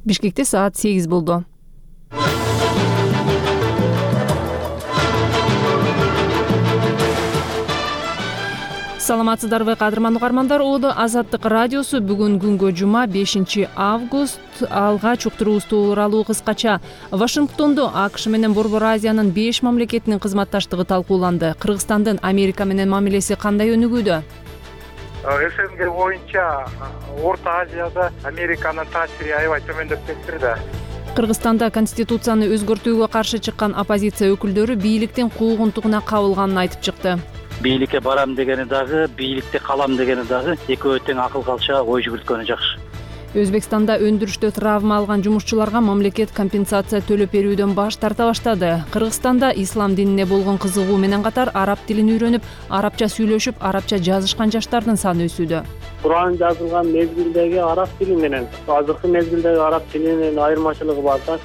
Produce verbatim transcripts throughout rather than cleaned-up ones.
Бишкекте саат сегиз болду. Саламатсыздарбы кадырман угармандар, Оодо Азаттык радиосу бүгүн күнгө жума бешинчи август. Алгач уктуруубуз тууралуу кыскача. Вашингтондо АКШ менен Борбор Азиянын беш мамлекетинин кызматташтыгы талкууланды. Кыргызстандын Америка менен мамилеси кандай өнүгүүдө? СНГ боюнча Орто Азияда Американын таасири аябай төмөндөп кетти да. Кыргызстанда конституцияны өзгөртүүгө каршы чыккан оппозиция өкүлдөрү бийликтин куугунтугуна кабылганын айтып чыкты. Бийликке барам дегени дагы, бийликте калам дегени дагы экөө тең акыл калча ой жүгүрткөнү жакшы. Өзбекстанда өндүрүштө травма алган жумушчуларга мамлекет компенсация төлөп берүүдөн баш тарта баштады. Кыргызстанда ислам динине болгон кызыгуу менен катар араб тилин үйрөнүп, арабча сүйлөшүп, арабча жазышкан жаштардын саны өсүүдө. Куран жазылган мезгилдеги араб тили менен азыркы мезгилдеги араб тилинин айырмачылыгы бар да.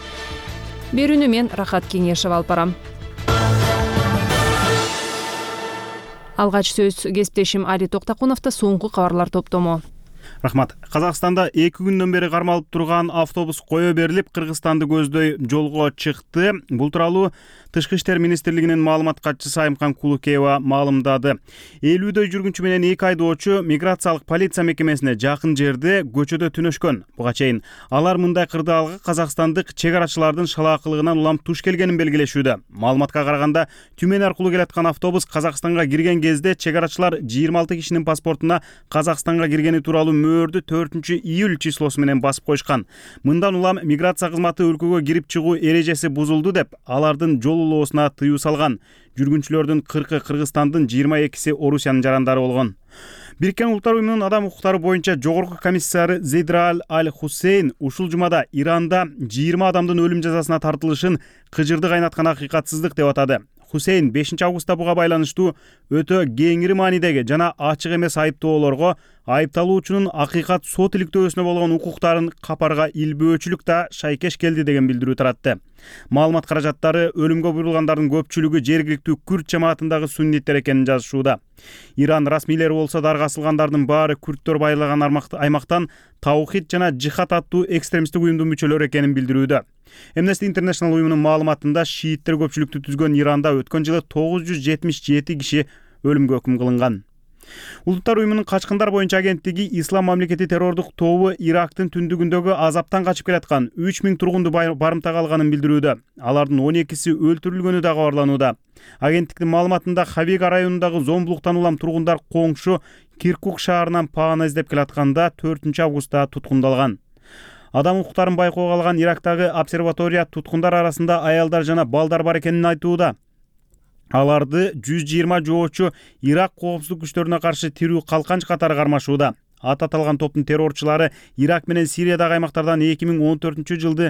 Берүүнү мен Рахат Кеңешев алып барам. Алгач сөз кесиптешим Али Токтакуновдо. Соңку кабарлар топтому. Рахмат. Казакстанда эки күндөн бери кармалып турган автобус кое берилип, Кыргызстанды көздөй жолго чыкты. Бул тууралуу Тышкы иштер министрлигинин маалымат катчысы Айымкан Кулукеева маалымдады. элүүдөй жүргүнчү менен эки айдоочу миграциялык полиция мекемесине жакын жерде көчөдө түнөшкөн. Буга чейин алар мындай кырдаалга казакстандык чек арачылардын шалаакылыгынан улам туш келгенин белгилешүүдө. Маалыматка караганда, Түмен аркылуу келаткан автобус Казакстанга кирген кезде чек арачылар жыйырма алты кишинин паспортуна Казакстанга киргени тууралуу мөөрдү төртүнчү июль числосу менен басып койшкан. Мындан улам миграция кызматы өлкөгө кирип чыгуу эрежеси бузулду деп, алардын жол улоосуна тыюу салган. Жүргүнчүлөрдүн кыркы Кыргызстандын, жыйырма экиси Орусиянын жарандары болгон. Бириккен Улуттар уюмунун адам укуктары боюнча жогорку комиссары Зейдраль Аль-Хусейн ушул жумада Иранда жыйырма адамдын өлүм жазасына тартылышын кыжырды кайнаткан акыйкатсыздык деп атады. Хусейн бешинчи августта буга байланыштуу өтө кеңири маанидеги жана ачык эмес айыптоолорго айыпталуучунун акыйкат сот иликтөөсүнө болгон укуктарын капарга илбөөчүлүк да шайкеш келди деген билдирүү таратты. Маалымат каражаттары өлүмгө буйрулгандардын көпчүлүгү жергиликтүү күрд жамаатындагы сунниттер экенин жазышууда. Иран расмийлери болсо дарга асылгандардын баары күрдтөр байлаган аймактан Таухид жана Жихад аттуу экстремисттик уюмдун мүчөлөрү экенин билдирүүдө. Amnesty International уюмунун маалыматында шииттер көпчүлүктү түзгөн Иранда өткөн жылы тогуз жүз жетимиш жети киши өлүмгө өкүм кылынган. Улуттар уюмунун качкындар боюнча агенттиги Ислам мамлекети террордук тобу Ирактын түндүгүндөгү азаптан качып келаткан үч миң тургунду барымтага алганын билдирүүдө. Алардын он экиси өлтүрүлгөнү да кабарланууда. Агенттиктин маалыматында Хавига районундагы зомбулуктан улам тургундар коңшу Киркук шаарынан паана издеп келатканда төртүнчү августта туткундалган. Адам укуктарын байкоого алган Ирактагы обсерватория туткундар арасында аялдар жана балдар бар экенин айтууда. Аларды жүз жыйырма жоочу Ирак коопсуздук күчтөрүнө каршы тирүү калканч катары кармашууда. Ат аталган топтун террорчулары Ирак менен Сириядагы аймактардан эки миң он төртүнчү жылды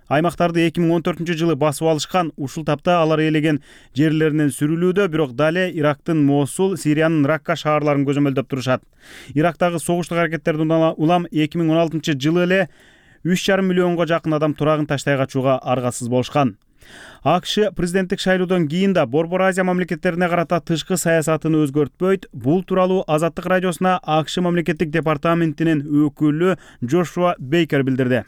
аймактарды эки миң он төртүнчү жылы басып алышкан. Ушул тапта алар ээлеген жерлеринен сүрүлүүдө, бирок дале Ирактын Мосул, Сириянын Ракка шаарларын көзөмөлдөп турушат. Ирактагы согуштук аракеттерден улам эки миң он алтынчы жылы эле үч жарым миллионго жакын адам турагын таштай качууга аргасыз болушкан. АКШ президенттик шайлоодон кийин да Борбор Азия мамлекеттерине карата тышкы саясатын өзгөртпөйт. Бул тууралуу Азаттык радиосуна АКШ мамлекеттик департаментинин өкүлү Джошуа Бейкер билдирди.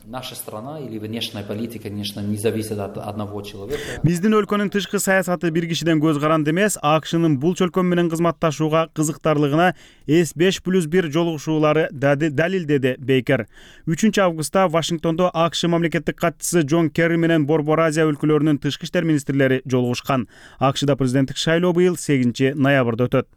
Наша страна или внешняя политика, конечно, не зависит от одного человека. Биздин өлкөнүн тышкы саясаты бир кишиден көз каранды эмес. АКШнын бул чөлкөм менен кызматташууга кызыктарлыгына эс беш плюс бир жолугушуулары далилдеди Бейкер. үчүнчү августта Вашингтондо АКШ мамлекеттик катчысы Джон Керри менен Борбор Азия өлкөлөрүнүн тышкы иштер министрлери жолугушкан. АКШда президенттик шайлоо быйыл сегизинчи ноябрда өтөт.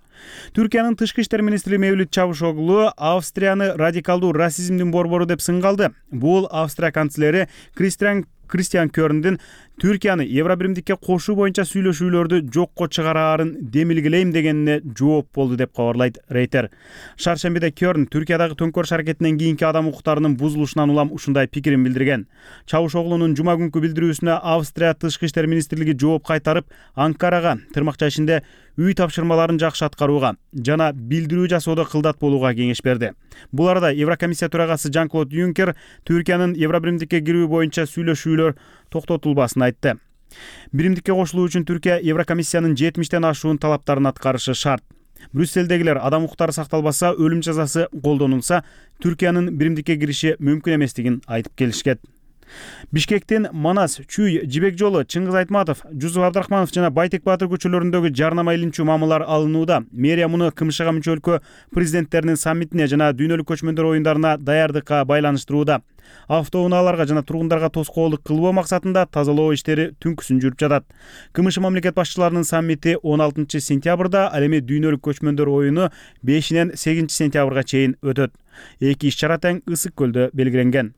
Түркиянын тышкы иштер министри Мевлют Чавушоглу Австрияны радикалдуу расизмдин борбору деп сынгалды. Бул Австрия канцлери Кристиан Кристиан Кёрндин Түркияны Евробиримдикке кошуу боюнча сүйлөшүүлөрдү жокко чыгараарын демилгелейм дегенине жооп болду деп кабарлайт Рейтер. Шаршембиде Кёрн Түркиядагы төңкөрүш аракетинен кийинки адам укуктарынын бузулушунан улам ушундай пикирин билдирген. Чавушоглунун жума күнкү билдирүүсүнө Австрия тышкы иштер министрлиги жооп кайтарып, Анкарага тырмакча ишинде үй тапшырмаларын жакшы аткарууга жана билдирүү жасоодо кылдат болууга кеңеш берди. Бул арада Еврокомиссия төрагасы Жан-Клод Юнкер Түркиянын Евробиримдикке кирүү боюнча сүйлөшүүлөр токтотулбасын айтты. Биримдикке кошулуу үчүн Түркия Еврокомиссиянын жетимиштен ашуун талаптарын аткарышы шарт. Брюссельдегилер адам укуктары сакталбаса, өлүм жазасы колдонулса, Түркиянын биримдикке кириши мүмкүн эместигин айтып келишкен. Бишкектин Манас, Чүй, Жибек жолу, Чыңгыз Айтматов, Жусуп Абдрахманов жана Байтек Баатыр көчөлөрүндөгү жарнама илимчүү мамылар алынууда. Мэрия муну КМШга мүчө өлкө президенттеринин саммитине жана дүйнөлүк көчмөндөр оюндарына даярдыкка байланыштырууда. Автоунааларга жана тургундарга тоскоолдук кылбоо максатында тазалоо иштери түнкүсүн жүрүп жатат. КМШ мамлекет башчыларынын саммити он алтынчы сентябрда, ал эми дүйнөлүк көчмөндөр оюну бешинен сегизинчи сентябрга чейин өтөт. Эки иш-чара тең Ысык көлдө белгиленген.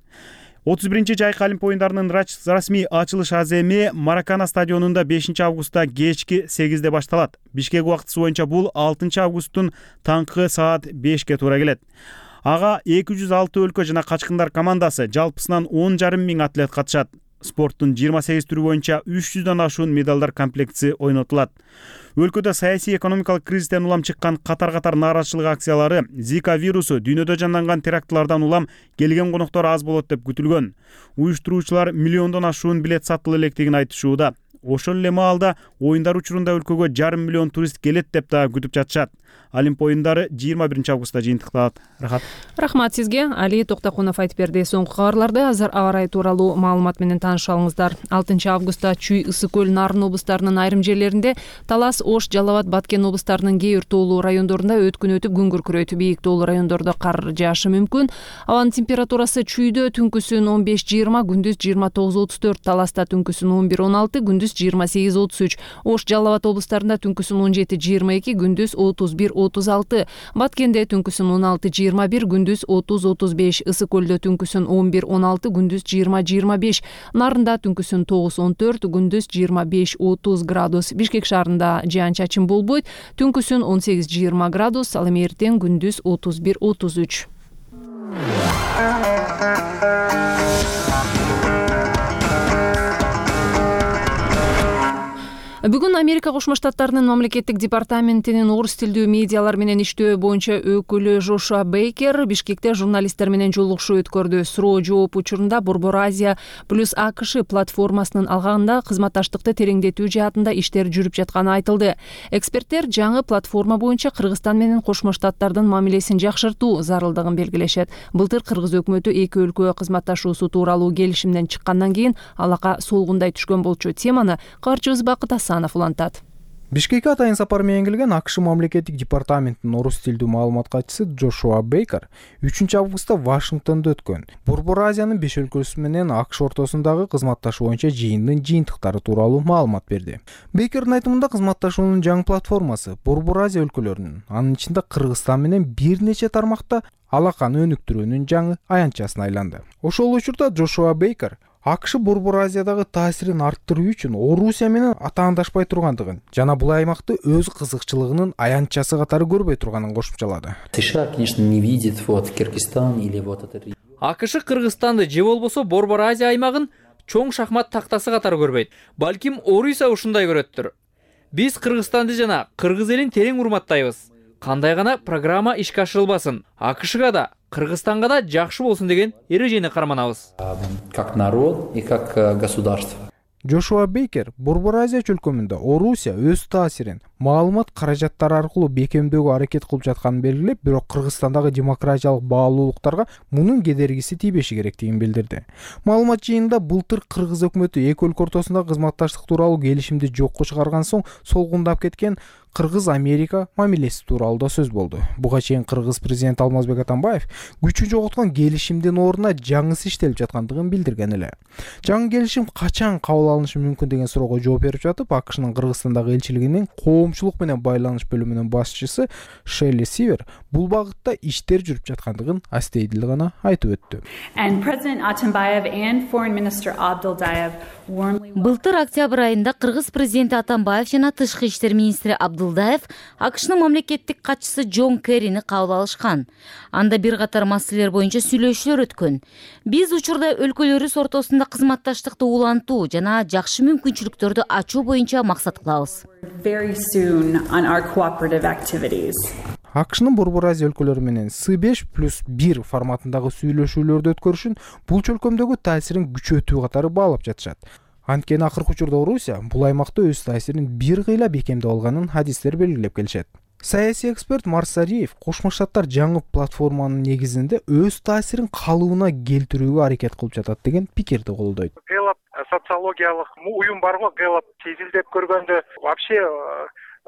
отуз биринчи жайкы Олимп оюндарынын расмий ачылыш аземи Маракана стадионунда бешинчи августта кечки сегизде башталат. Бишкек убактысы боюнча бул алтынчы августтун таңкы саат бешке туура келет. Ага эки жүз алты өлкө жана качкындар командасы, жалпысынан он жарым миң атлет катышат. Спорттун жыйырма сегиз түрү боюнча үч жүздөн ашуун медалдар комплектиси ойнотулат. Өлкөдө саясий экономикалык кризистен улам чыккан катар-катар нааразычылык акциялары, Зика вирусу, дүйнөдө жанданган терактлардан улам келген коноктор аз болот деп күтүлгөн. Уюштуруучулар миллиондон ашуун билет сатыла электигин айтышууда. Ошол эле маалда оюндар учурунда өлкөгө жарым миллион турист келет деп да күтүп жатышат. Олимп оюндары жыйырма биринчи августта жыйынтыкталат. Рахат. Рахмат сизге. Али Токтокунов айтып берди. Соңку кабарларды азыр аба ырайы тууралуу маалымат менен тааныша алыңыздар. алтынчы августта Чүй, Ысык көл, Нарын облустарынын айрым жерлеринде, Талас, Ош, Жалал Абад, Баткен облустарынын кээ бир тоолуу райондорунда өткүн өтүп күн күркүрөйт. Бийик тоолуу райондордо кар жаашы мүмкүн. Абанын температурасы Чүйдө түнкүсүн он беш жыйырма, күндүз жыйырма тогуз отуз төрт, Таласта түнкүсүн он бир он алты, күндүз жыйырма сегиз отуз үч, Ош, Жалал Абад облустарында түнкүсүн он жети жыйырма эки, күндүз отуз бир отуз алты, Баткенде түнкүсүн он алты жыйырма бир, күндүз отуз отуз беш, Ысык көлдө түнкүсүн он бир он алты, күндүз жыйырма жыйырма беш, Нарында түнкүсүн тогуз он төрт, күндүз жыйырма беш отуз градус. Бишкек шаарында жаан-чачын болбойт, түнкүсүн он сегиз жыйырма градус, ал эми эртең күндүз отуз бир отуз үч. Бүгүн Америка Кошмо Штаттарынын мамлекеттик департаментинин орус тилдүү медиалар менен иштөө боюнча өкүлү Жошуа Бейкер Бишкекте журналисттер менен жолугушуу өткөрдү. Суроо жооп учурунда Борбор Азия плюс АКШ платформасынын алгагында кызматташтыкты тереңдетүү жаатында иштер жүрүп жатканы айтылды. Эксперттер жаңы платформа боюнча Кыргызстан менен Кошмо Штаттардын мамилесин жакшыртуу зарылдыгын белгилешет. Былтыр Кыргыз өкмөтү эки өлкө кызматташуусу тууралуу келишимден чыккандан кийин алака солгундай түшкөн болчу. Теманы кабарчыбыз Бакыт улантат. Бишкекке атайын сапар менен келген АКШ мамлекеттик департаментинин орус тилдүү маалымат катчысы Джошуа Бейкер үчүнчү августта Вашингтондо өткөн Борбор Азиянын беш өлкөсү менен АКШ ортосундагы кызматташуу боюнча жыйындын жыйынтыктары тууралуу маалымат берди. Бейкердин айтымында кызматташуунун жаңы платформасы Борбор Азия өлкөлөрүнүн, анын ичинде Кыргызстан менен бир нече тармакта алаканы өнүктүрүүнүн жаңы аянтчасына айланды. Ошол учурда Джошуа Бейкер АКШ Борбор Азиядагы таасирин арттыруу үчүн Орусия менен атаандашпай тургандыгын жана бул аймакты өз кызыкчылыгынын аянтчасы катары көрбөй турганын кошумчалады. США, конечно, не видит вот Кыргызстан или вот этот. АКШ Кыргызстанды же болбосо Борбор Азия аймагын чоң шахмат тактасы катары көрбөйт. Балким Орусия ушундай көрөттүр. Биз Кыргызстанды жана кыргыз элин терең урматтайбыз. Кандай гана программа ишке ашырылбасын, АКШга да Кыргызстанга да жакшы болсун деген эрежени карманабыз. Как народ и как государство. Джошуа Бейкер Борбор Азия чөлкөмүндө Орусия өз таасирин маалымат каражаттары аркылуу бекемдөөгө аракет кылып жатканын белгилеп, бирок Кыргызстандагы демократиялык баалуулуктарга мунун кедергиси тийбеши керектигин билдирди. Маалымат жыйынында былтыр Кыргыз өкмөтү эки өлкө ортосунда кызматташтык тууралуу келишимди жокко чыгарган соң солгундап кеткен Кыргыз-Америка мамилеси тууралуу да сөз болду. Буга чейин Кыргыз президенти Алмазбек Атамбаев күчүн жоготкон келишимдин ордуна жаңысы иштелип жаткандыгын билдирген эле. Жаңы келишим качан кабыл алынышы мүмкүн деген суроого жооп берип жатып, АКШнын Кыргызстандагы элчилигинин коомчулук менен байланыш бөлүмүнүн башчысы Шелли Сивер бул багытта иштер жүрүп жаткандыгын астейдил гана айтып өттү. Былтыр октябрь айында Кыргыз президенти Атамбаев жана тышкы иштер министри Абдулдаев АКШнын мамлекеттик катчысы Джон Керрини кабыл алышкан. Анда бир катар маселелер боюнча сүйлөшүүлөр өткөн. Биз учурда өлкөлөрүбүз ортосунда кызматташтыкты улантуу жана жакшы мүмкүнчүлүктөрдү ачуу боюнча максат кылабыз. АКШнын Борбор Азия өлкөлөрү менен С беш плюс бир форматындагы сүйлөшүүлөрдү өткөрүшүн бул чөлкөмдөгү таасирин күчөтүү катары баалап жатышат. Анткени акыркы учурда Орусия бул аймакта өз таасирин бир кыйла бекемдеп алганын хадистер белгилеп келишет. Саясий эксперт Марсариев Кошмо Штаттар жаңы платформанын негизинде өз таасирин калыбына келтирүүгө аракет кылып жатат деген пикирди колдойт. Гэллап социологиялык уюм бар го, Гэллап изилдеп көргөндө вообще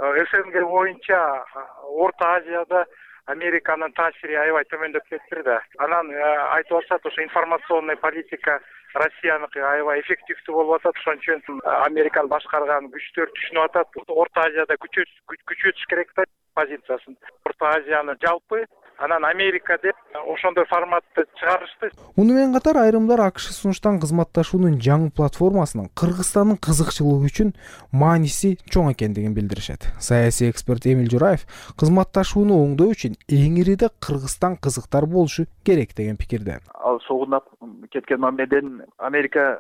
СНГ боюнча Орто Азияда Американын таасири аябай төмөндөп кетти да. Анан айтып атышат, ошо информационный политика Россияныкы аябай эффективдүү болуп атат. Ошон үчүн Американы башкарган күчтөр түшүнүп атат. Орто Азияда күчөтүш керек да позициясын. Орто Азияны жалпы, анан Америка деп ошондой форматты чыгарышты. Муну менен катар айрымдар АКШ сунуштан кызматташуунун жаңы платформасынын Кыргызстандын кызыкчылыгы үчүн мааниси чоң экендигин билдиришет. Саясий эксперт Эмил Жураев кызматташууну оңдоо үчүн эң ириде Кыргызстан кызыктар болушу керек деген пикирде. Ал согунап кеткен мамледен Америка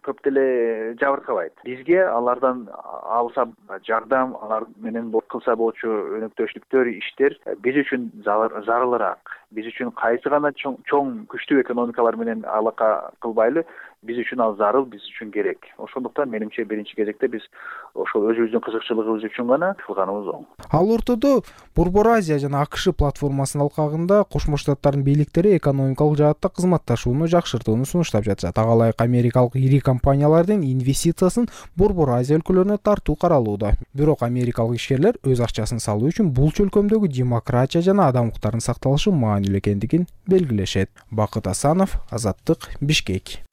көп деле жабыркабайт. Бизге алардан алса жардам, алар менен кылса болчу өнөктөштүктөр, иштер биз үчүн зарылыраак. Биз үчүн кайсы гана чоң, чоң күчтүү экономикалар менен алака кылбайлы, биз үчүн ал зарыл, биз үчүн керек. Ошондуктан менимче биринчи кезекте биз ошол өзүбүздүн кызыкчылыгыбыз үчүн гана кылганыбыз оң. Ал ортодо Борбор Азия жана АКШ платформасынын алкагында Кошмо Штаттардын бийликтери экономикалык жаатта кызматташууну жакшыртууну сунуштап жатышат. Ага ылайык америкалык ири компаниялардын инвестициясын Борбор Азия өлкөлөрүнө тартуу каралууда. Бирок америкалык ишкерлер өз акчасын салуу үчүн бул чөлкөмдөгү демократия жана адам укуктарынын сакталышы маанилүү экендигин белгилешет. Бакыт Асанов, Азаттык, Бишкек.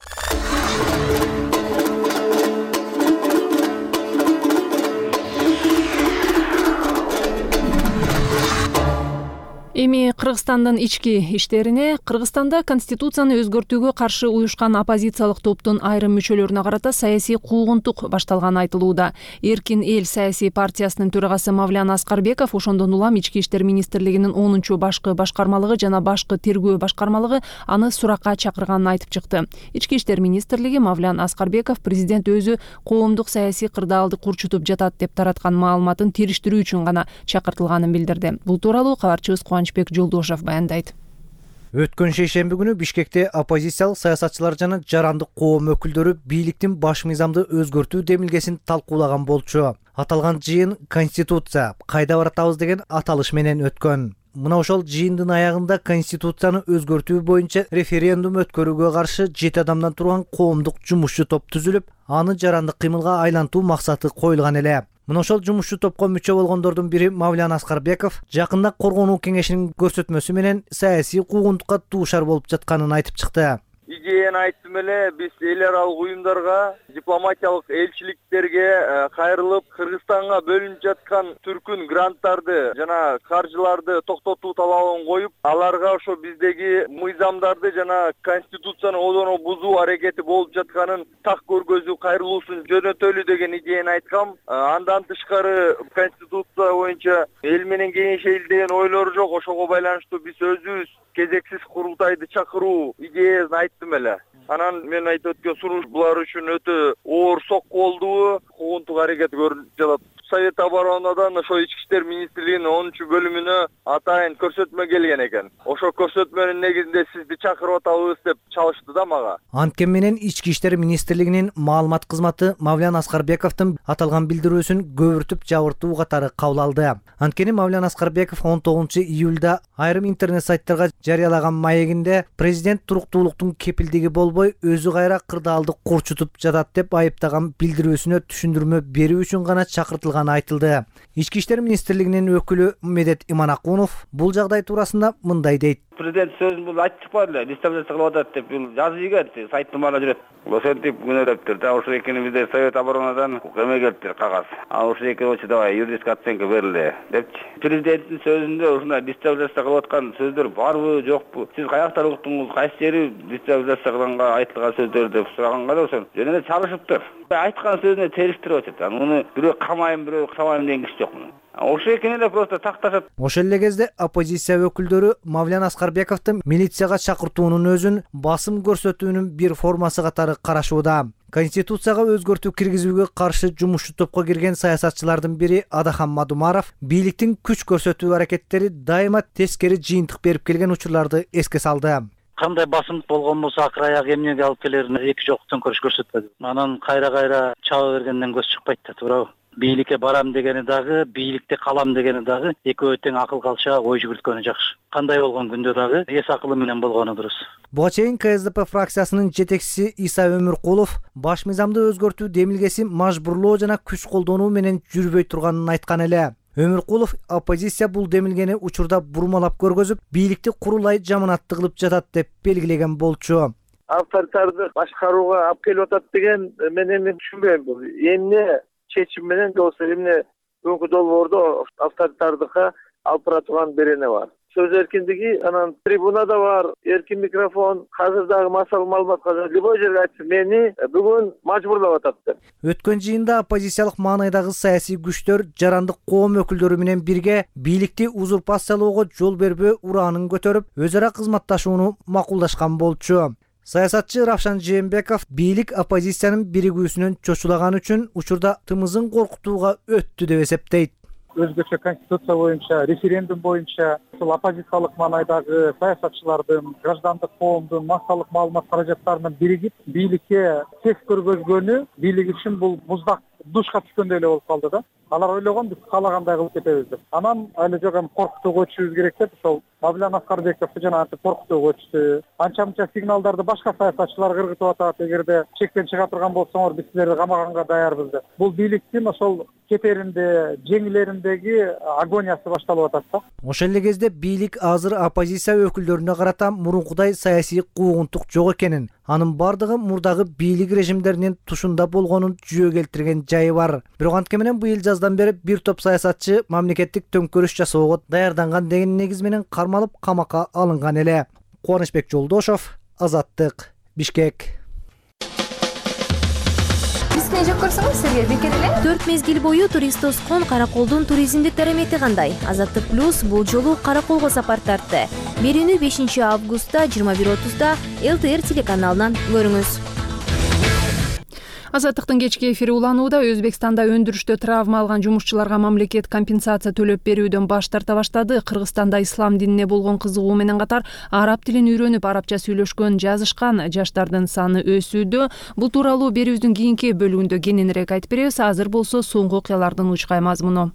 Эми Кыргызстандын ички иштерине. Кыргызстанда конституцияны өзгөртүүгө каршы уюшкан оппозициялык топтун айрым мүчөлөрүнө карата саясий куугунтук башталганы айтылууда. Эркин эл саясий партиясынын төрагасы Мавлян Аскарбеков ошондон улам ички иштер министрлигинин онунчу башкы башкармалыгы жана башкы тергөө башкармалыгы аны суракка чакырганын айтып чыкты. Ички иштер министрлиги Мавлян Аскарбеков президент өзү коомдук саясий кырдаалды курчутуп жатат деп тараткан маалыматын териштирүү үчүн гана чакыртылганын билдирди. Бул тууралуу кабарчыбыз Кубанычбек Жолдошев баяндайт. Өткөн шейшемби күнү Бишкекте оппозициялык саясатчылар жана жарандык коом өкүлдөрү бийликтин баш мыйзамды өзгөртүү демилгесин талкуулаган болчу. Аталган жыйын Конституция кайда баратабыз деген аталыш менен өткөн. Мына ошол жыйындын аягында Конституцияны өзгөртүү боюнча референдум өткөрүүгө каршы жети адамдан турган коомдук жумушчу топ түзүлүп, аны жарандык кыймылга айлантуу максаты коюлган эле. Мына ошол жумушчу топко мүчө болгондордун бири Мавлян Аскарбеков жакында коргонуу кеңешинин көрсөтмөсү менен саясий куугунтукка дуушар болуп жатканын айтып чыкты. Идеяны айттым эле, биз эл аралык уюмдарга, дипломатиялык элчиликтерге кайрылып, Кыргызстанга бөлүнүп жаткан түркүн гранттарды жана каржыларды токтотуу талабын коюп, аларга ошо биздеги мыйзамдарды жана конституцияны одоно бузуу аракети болуп жатканын так көргөзүү кайрылуусун жөнөтөлү деген идеяны айткам. Андан тышкары конституция боюнча эл менен кеңешели деген ойлор жок. Ошого байланыштуу биз өзүбүз кезексиз курултайды чакыруу идеясын айттым эле. Анан мен айтып өткөн сунуш булар үчүн өтө оор сокку болду. Куугунтук аракет көрүнүп жатат. Совет оборонадан ошо ички иштер министрлигинин онунчу бөлүмүнө атайын көрсөтмө келген экен. Ошо көрсөтмөнүн негизинде сизди чакырып атабыз деп чалышты да мага. Анткени менен ички иштер министрлигинин маалымат кызматы Мавлян Аскарбековдун аталган билдирүүсүн көбүртүп жабыртуу катары кабыл алды. Анткени Мавлян Аскарбеков он тогузунчу июлда айрым интернет сайттарга жарыялаган маегинде президент туруктуулуктун кепилдиги болбой өзү кайра кырдаалды курчутуп жатат деп айыптаган билдирүүсүнө түшүндүрмө берүү үчүн гана чакыртылган айтылды. Ички иштер министрлигинин өкүлү Медет Иманакунов бул жагдай туурасында мындай дейт. Президент сөзүн айтып чыкпады, дестабилизация кылып атат деп бул жазып ийгет, сайттын баары жүрөт. Ошентип күнөөлөптүр. Да ошо экенибизде Совет оборонадан эме келиптир, кагаз. А ошо экен болчу давай юридическая оценка берилди депчи. Президенттин сөзүндө ушундай дестабилизация кылып аткан сөздөр барбы, жокпу? Сиз каяктан уктуңуз? Кайсы жери дестабилизация кылганга айтылган сөздөр деп сураганга да ошо жөн эле чалышыптыр. Айткан сөзүнө териштирип атат. Муну бирөө камайын, бирөө камайын деген киши жок муну. Ошо экен эле просто такташат. Ошол эле кезде оппозиция өкүлдөрү Мавлян Аскарбековдун милицияга чакыртуунун өзүн басым көрсөтүүнүн бир формасы катары карашууда. Конституцияга өзгөртүү киргизүүгө каршы жумушчу топко кирген саясатчылардын бири Адахан Мадумаров бийликтин күч көрсөтүү аракеттери дайыма тескери жыйынтык берип келген учурларды эске салды. Кандай басымдык болгон болсо акыр аяк эмнеге алып келерин эки жок төңкөрүш көрсөтпөдү. Анан кайра кайра чаба бергенден көз чыкпайт да, туурабы? бийликке барам дегени дагы, бийликте калам дегени дагы экөө тең акыл калча ой жүгүрткөнү жакшы. Кандай болгон күндө дагы эс акылы менен болгону дурус. Буга чейин Ка Эс Де Пе фракциясынын жетекчиси Иса Өмүркулов баш мыйзамды өзгөртүү демилгеси мажбурлоо жана күч колдонуу менен жүрбөй турганын айткан эле. Өмүркулов оппозиция бул демилгени учурда бурмалап көргөзүп, бийликти курулай жаманатты кылып жатат деп белгилеген болчу. Авторитарды башкарууга алып келип атат деген мен эми түшүнбөйм. Эмне чечим менен же болбосо эмне бүгүнкү долбоордо авторитардыкка алып бара турган берене бар. Сөз эркиндиги анан трибунада бар, эркин микрофон, азыр дагы массалык маалыматка любой жерге айтсын, мени бүгүн мажбурлап атат деп. Өткөн жыйында оппозициялык маанайдагы саясий күчтөр жарандык коом өкүлдөрү менен бирге бийликти узурпациялоого жол бербөө ураанын көтөрүп, өз ара кызматташууну макулдашкан болчу. Саясатчы Равшан Жээнбеков бийлик оппозициянын биригүүсүнөн чочулаган үчүн учурда тымызын коркутууга өттү деп эсептейт. Өзгөчө конституция боюнча, референдум боюнча ушул оппозициялык маанайдагы саясатчылардын, граждандык коомдун массалык маалымат каражаттарынын биригип бийликке тек көргөзгөнү бийлик үчүн бул муздак душка түшкөндөй эле болуп калды да. Алар ойлогон биз каалагандай кылып кетебиз деп. Анан али жок эми коркутууга өтүшүбүз керек деп ошол Мавлан Аскарбековду жана антип коркутууга өтүштү. Анча-мынча сигналдарды башка саясатчылар кыргытып атат. Эгерде чектен чыга турган болсоңор биз силерди камаганга даярбыз деп. Бул бийликтин ошол кетеринде, жеңилериндеги агониясы башталып атат да. Ошол эле кезде бийлик азыр оппозиция өкүлдөрүнө карата мурункудай саясий куугунтук жок экенин, анын бардыгы мурдагы бийлик режимдеринин тушунда болгонун жүйө келтирген жайы бар. Бирок антке менен быйыл жаздан бери бир топ саясатчы мамлекеттик төңкөрүш жасоого даярданган деген негиз менен кармалып камакка алынган эле. Кубанычбек Жолдошов, Азаттык, Бишкек. Бизне жок көрсөңүз сизге бекер эле. төрт мезгил бою турист тоскон Караколдун туризмдик дарамети кандай? Азаттык плюс бул жолу Караколго сапар тартты. Берүүнү бешинчи августта жыйырма бир отузда Эл Тэ Эр телеканалынан көрүңүз. Азаттыктын кечки эфири уланууда. Өзбекстанда өндүрүштө травма алган жумушчуларга мамлекет компенсация төлөп берүүдөн баш тарта баштады. Кыргызстанда ислам динине болгон кызыгуу менен катар араб тилин үйрөнүп, арабча сүйлөшкөн, жазышкан жаштардын саны өсүүдө. Бул тууралуу берүүбүздүн кийинки бөлүгүндө кененирээк айтып беребиз. Азыр болсо соңку окуялардын учкай мазмуну.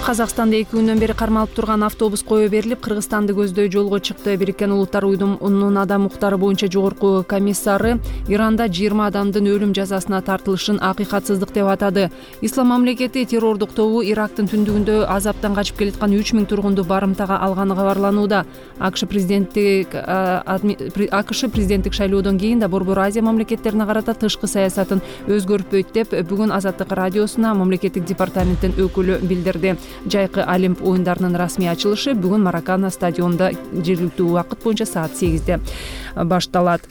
Казакстанда эки күндөн бери кармалып турган автобус кое берилип, Кыргызстанды көздөй жолго чыкты. Бириккен Улуттар Уюмунун адам укуктары боюнча жогорку комиссары Иранда жыйырма адамдын өлүм жазасына тартылышын акыйкатсыздык деп атады. Ислам мамлекети террордук тобу Ирактын түндүгүндө азаптан качып келаткан үч миң тургунду барымтага алганы кабарланууда. АКШ президенттик АКШ президенттик шайлоодон кийин да Борбор Азия мамлекеттерине карата тышкы саясатын өзгөртпөйт деп бүгүн Азаттык радиосуна мамлекеттик департаменттин өкүлү билдирди. Жайкы Олимп оюндарынын расмий ачылышы бүгүн Маракана стадионунда жергиликтүү убакыт боюнча саат сегизде башталат.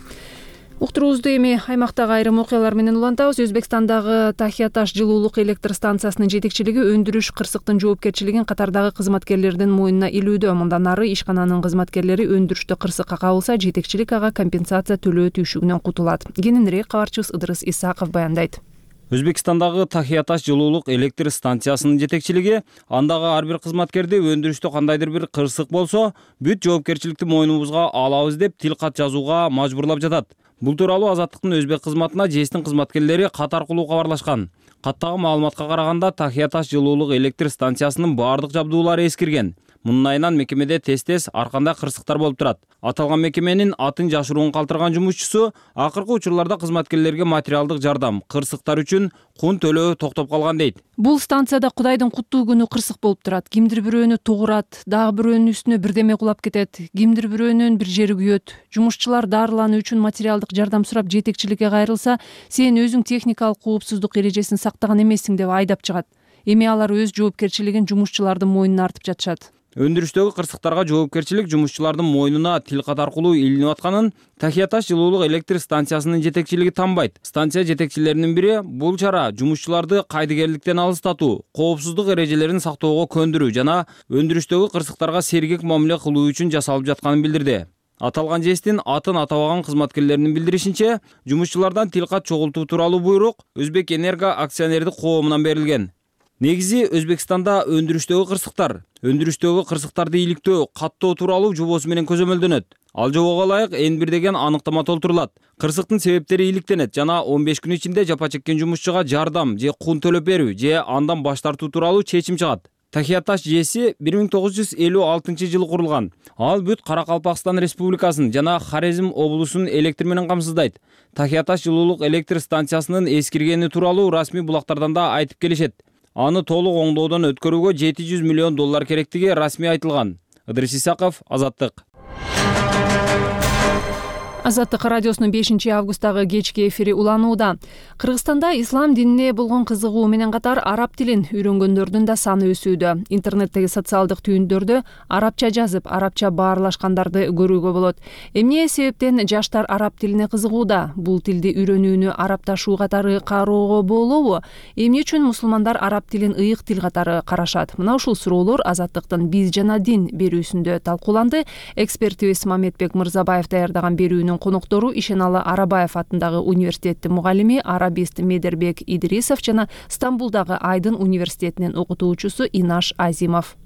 Уктуруубузду эми аймактагы айрым окуялар менен улантабыз. Өзбекстандагы Тахиаташ жылуулук электр станциясынын жетекчилиги өндүрүш кырсыктын жоопкерчилигин катардагы кызматкерлердин мойнуна илүүдө. Мындан ары ишкананын кызматкерлери өндүрүштө кырсыкка кабылса, жетекчилик ага компенсация төлөө түйшүгүнөн кутулат. Кененирээк кабарчыбыз Ыдырыс Исаков баяндайт. Өзбекстандагы Тахиаташ жылуулук электр станциясынын жетекчилиги андагы ар бир кызматкерди өндүрүштө кандайдыр бир кырсык болсо, бүт жоопкерчиликти мойнубузга алабыз деп тил кат жазууга мажбурлап жатат. Бул тууралуу Азаттыктын өзбек кызматына ЖЭСтин кызматкерлери кат аркылуу кабарлашкан. Каттагы маалыматка караганда Тахиаташ жылуулук электр станциясынын баардык жабдуулары эскирген. Мунун айынан мекемеде тез-тез ар кандай кырсыктар болуп турат. Аталган мекеменин атын жашыруун калтырган жумушчусу акыркы учурларда кызматкерлерге материалдык жардам, кырсыктар үчүн кун төлөө токтоп калган дейт. Бул станцияда Кудайдын куттуу күнү кырсык болуп турат. Кимдир бирөөнү тугурат, дагы бирөөнүн үстүнө бирдеме кулап кетет, кимдир бирөөнүн бир жери күйөт. Жумушчулар дарылануу үчүн материалдык жардам сурап жетекчиликке кайрылса, сен өзүң техникалык коопсуздук эрежесин сактаган эмессиң деп айдап чыгат. Эми алар өз жоопкерчилигин жумушчулардын мойнуна артып жатышат. Өндүрүштөгү кырсыктарга жоопкерчилик жумушчулардын мойнуна тил кат аркылуу илинип атканын Тахиаташ жылуулук электр станциясынын жетекчилиги танбайт. Станция жетекчилеринин бири бул чара жумушчуларды кайдыгерликтен алыстатуу, коопсуздук эрежелерин сактоого көндүрүү жана өндүрүштөгү кырсыктарга сергек мамиле кылуу үчүн жасалып жатканын билдирди. Аталган ЖЭСтин атын атабаган кызматкерлеринин билдиришинче, жумушчулардан тил кат чогултуу тууралуу буйрук Өзбек Энерго акционердик коомунан берилген. Негизи Өзбекстанда өндүрүштөгү кырсыктар, өндүрүштөгү кырсыктарды иликтөө, каттоо тууралуу жобосу менен көзөмөлдөнөт. Ал жобого ылайык эн бир деген аныктама толтурулат. Кырсыктын себептери иликтенет жана он беш күн ичинде жапа чеккен жумушчуга жардам же кун төлөп берүү же андан баш тартуу тууралуу чечим чыгат. Тахияташ жээси бир миң тогуз жүз элүү алтынчы жылы курулган. Ал бүт Каракалпакстан Республикасын жана Хорезм облусун электр менен камсыздайт. Тахияташ жылуулук электр станциясынын эскиргени тууралуу расмий булактардан да айтып келишет. Аны толук оңдоодон өткөрүүгө жети жүз миллион доллар керектиги расмий айтылган. Ыдырыс Исаков, Азаттык. Азаттык радиосунун бешинчи августтагы кечки эфири уланууда. Кыргызстанда ислам динине болгон кызыгуу менен катар араб тилин үйрөнгөндөрдүн да саны өсүүдө. Интернеттеги социалдык түйүндөрдө арабча жазып, арабча баарлашкандарды көрүүгө болот. Эмне себептен жаштар араб тилине кызыгууда? Бул тилди үйрөнүүнү арабташуу катары кароого болобу? Эмне үчүн мусулмандар араб тилин ыйык тил катары карашат? Мына ушул суроолор Азаттыктын биз жана дин берүүсүндө талкууланды. Экспертибиз Мамедбек Мырзабаев даярдаган берүүнүн коноктору Ишеналы Арабаев атындагы университеттин мугалими, арабист Медербек Идрисов жана Стамбулдагы Айдын университетинин окутуучусу Инаш Азимов.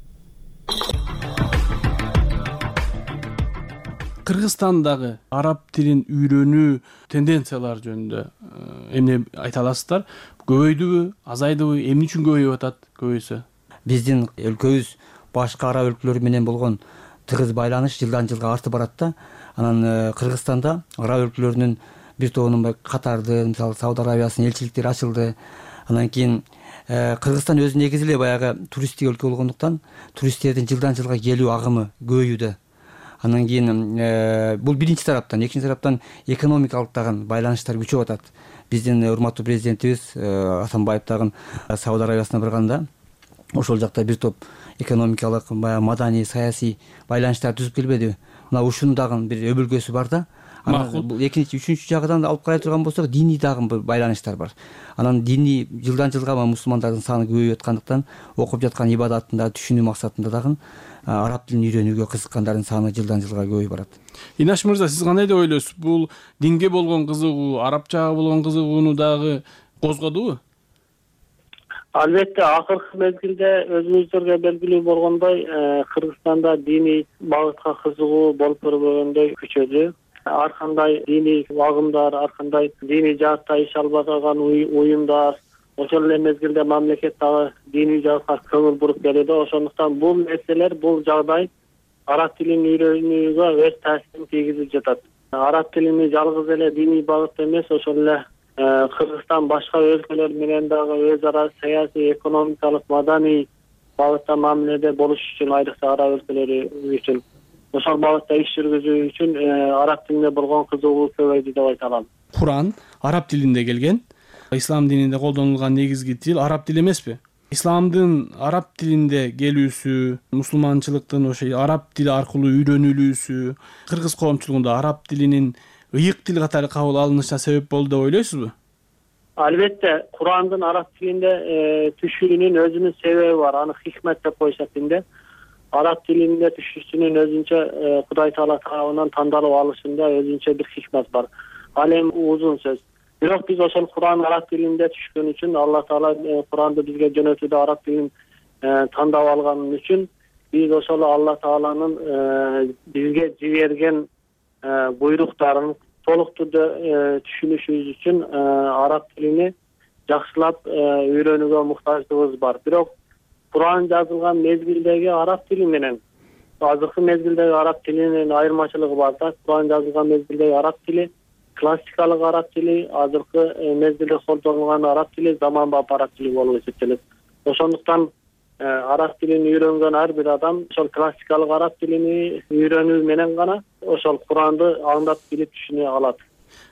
Кыргызстандагы араб тилин үйрөнүү тенденциялары жөнүндө эмне айта аласыздар? Көбөйдүбү, азайдыбы, эмне үчүн көбөйүп атат көбөйсө? Биздин өлкөбүз башка араб өлкөлөр менен болгон тыгыз байланыш жылдан жылга артып барат да. Анан Кыргызстанда араб өлкөлөрүнүн бир тобунун Катарды, мисалы Сауд Арабиясынын элчиликтери ачылды. Анан кийин Кыргызстан өзү негизи эле баягы туристтик өлкө болгондуктан туристтердин жылдан жылга келүү агымы көбөйүүдө. Анан кийин бул биринчи тараптан, экинчи тараптан экономикалык дагы байланыштар күчөп атат. Биздин урматтуу президентибиз Атамбаев дагы Сауд Арабиясына барганда ошол жакта бир топ экономикалык, маданий, саясий байланыштар түзүп келбедиби? Мына ушунун дагы бир өбөлгөсү бар да. Анан бул экинчи, үчүнчү жагынан алып карай турган болсок, диний дагы бир байланыштар бар. Анан диний жылдан жылга мусулмандардын саны көбөйүп аткандыктан окуп жаткан ибадатын да түшүнүү максатында дагы араб тилин үйрөнүүгө кызыккандардын саны жылдан жылга көбөйүп барат. Инаш мырза, сиз кандай деп ойлойсуз? Бул динге болгон кызыгуу, арабчага болгон кызыгууну дагы козгодубу? Албетте, акыркы мезгилде өзүңүздөргө белгилүү болгондой, Кыргызстанда диний багытка кызыгуу болуп көрбөгөндөй күчөдү. Ар кандай диний агымдар, ар кандай диний жаатта иш алып жаткан уюмдар, ошол эле мезгилде мамлекет дагы диний жаатка көңүл буруп келүүдө. Ошондуктан бул нерселер, бул жагдай араб тилин үйрөнүүгө өз таасирин тийгизип жатат. Араб тилини жалгыз эле диний багытта эмес, ошол эле Кыргызстан башка өлкөлөр менен дагы өз ара саясий, экономикалык, маданий багытта мамиледе болуш үчүн, айрыкча араб өлкөлөрү үчүн, ошол багытта иш жүргүзүү үчүн араб тилине болгон кызыгуу көбөйдү деп айта алам. Куран араб тилинде келген. Ислам дининде колдонулган негизги тил араб тили эмеспи? Исламдын араб тилинде келүүсү, мусулманчылыктын ошо араб тили аркылуу үйрөнүлүүсү, кыргыз коомчулугунда араб тилинин ыйык тил катары кабыл алынышына себеп болду деп ойлойсузбу? Албетте, Курандын араб тилинде түшүүнүн өзүнүн себеби бар. Аны хикмет деп коюшат динде. Араб тилинде түшүүсүнүн өзүнчө Кудай Таала тарабынан тандалып алышында өзүнчө бир хикмет бар. Ал эми узун сөз. Бирок биз ошол Куран араб тилинде түшкөн үчүн, Алла Таала Куранды бизге жөнөтүүдө араб тилин тандап алган үчүн биз ошол Алла Тааланын бизге жиберген буйруктарын толук түрдө түшүнүшүбүз үчүн араб тилини жакшылап үйрөнүүгө муктаждыгыбыз бар. Бирок Куран жазылган мезгилдеги араб тили менен азыркы мезгилдеги араб тилинин айырмачылыгы бар да. Куран жазылган мезгилдеги араб тили классикалык араб тили, азыркы мезгилде колдонулган араб тили заманбап араб тили болуп эсептелет. Ошондуктан араб тилин үйрөнгөн ар бир адам ошол классикалык араб тилини үйрөнүү менен гана ошол Куранды аңдап билип түшүнө алат.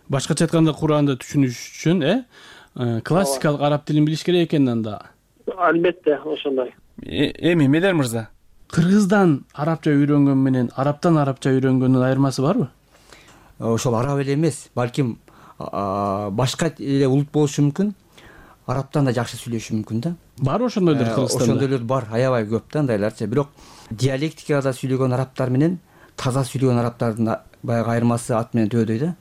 Башкача айтканда, Куранды түшүнүш үчүн э классикалык араб тилин билиш керек экен анда. Албетте, ошондой. Эми Медер мырза, кыргыздан арабча үйрөнгөн менен арабтан арабча үйрөнгөндүн айырмасы барбы? Ошол араб эле эмес, балким башка эле улут болушу мүмкүн. Арабтан да жакшы сүйлөшүшү мүмкүн да. Бар ошондойлор Кыргызстанда? Ошондойлор бар, аябай көп да андайларчы. Бирок диалектикада сүйлөгөн арабтар менен таза сүйлөгөн арабтардын баягы айырмасы ат менен төбөдөй да.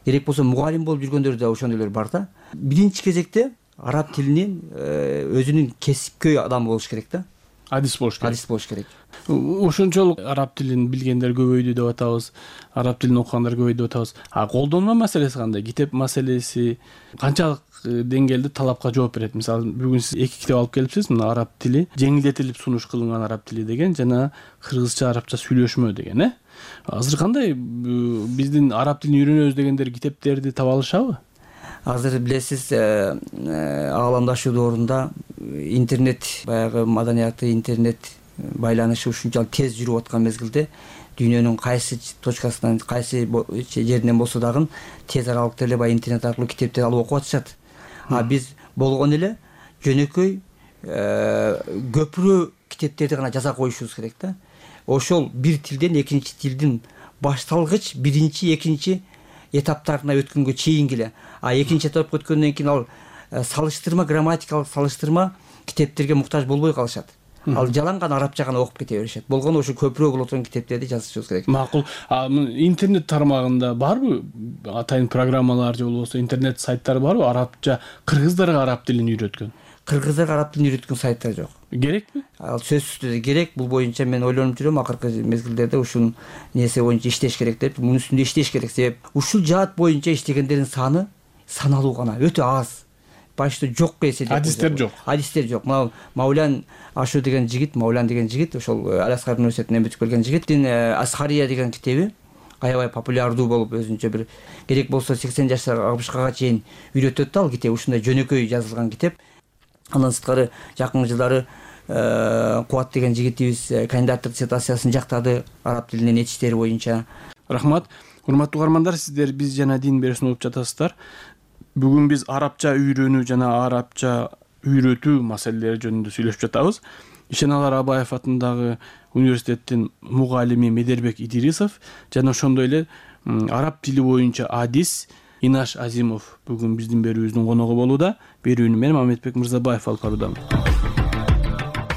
Керек болсо мугалим болуп жүргөндөр да ошондойлор бар да. Биринчи кезекте араб тилинин өзүнүн кесипкөй адам болуш керек да. Адис болуш керек. Адис болуш керек. ошончолук араб тилин билгендер көбөйдү деп атабыз, араб тилин окугандар көбөйдү деп атабыз. А колдонма маселеси кандай? Китеп маселеси канчалык деңгээлде талапка жооп берет? Мисалы, бүгүн сиз эки китеп алып келипсиз, мына араб тили, жеңилдетилип сунуш кылынган араб тили деген жана кыргызча, арабча сүйлөшмө деген, э? Азыр кандай биздин араб тилин үйрөнөбүз дегендер китептерди таба алышабы? Азыр билесиз, ааламдашуу доорунда интернет баягы маданияты, интернет байланышы ушунчалык тез жүрүп аткан мезгилде дүйнөнүн кайсы точкасынан, кайсы жеринен болсо дагы тез аралыкта эле баягы интернет аркылуу китепти алып окуп атышат. А биз болгон эле жөнөкөй көпүрө китептерди гана жаза коюшубуз керек да. Ошол бир тилден экинчи тилдин башталгыч биринчи, экинчи этаптарына өткөнгө чейинки эле. А экинчи этапка өткөндөн кийин ал салыштырма, грамматикалык салыштырма китептерге муктаж болбой калышат. Ал жалаң гана арабча гана окуп кете беришет. Болгону ошо көпүрө боло турган китептерди жазышыбыз керек. Макул. А интернет тармагында барбы атайын программалар же болбосо интернет сайттар барбы арабча кыргыздарга араб тилин үйрөткөн? Кыргыздарга араб тилин үйрөткөн сайттар жок. Керекпи? Ал сөзсүз түрдө керек. Бул боюнча мен ойлонуп жүрөм, акыркы мезгилдерде ушул нерсе боюнча иштеш керек деп, мунун үстүндө иштеш керек. Себеп ушул жаат боюнча иштегендердин саны саналуу гана, өтө аз. Башта жок эседеп. Адистер жок. Адистер жок. Мына Маулян Ашу деген жигит, Маулян деген жигит, ошол Аласкар университетинен бүтүп келген жигиттин Асхария деген китеби аябай популярдуу болуп, өзүнчө бир керек болсо сексен жаштар алпышка чейин үйрөтөт да ал китеп. Ушундай жөнөкөй жазылган китеп. Андан сырткары жакынкы жылдары Кубат деген жигитибиз кандидаттык диссертациясын жактады араб тилинин этиштери боюнча. Рахмат. Урматтуу угармандар, сиздер биз жана дин берүүсүн угуп жатасыздар. Бүгүн биз арабча үйрөнүү жана арабча үйрөтүү маселелери жөнүндө сүйлөшүп жатабыз. Ишеналы Арабаев атындагы университеттин мугалими Медербек Идирисов жана ошондой эле араб тили боюнча адис Инаш Азимов бүгүн биздин берүүбүздүн коногу болууда. Берүүнү мен Мамедбек Мырзабаев алып баруудамын.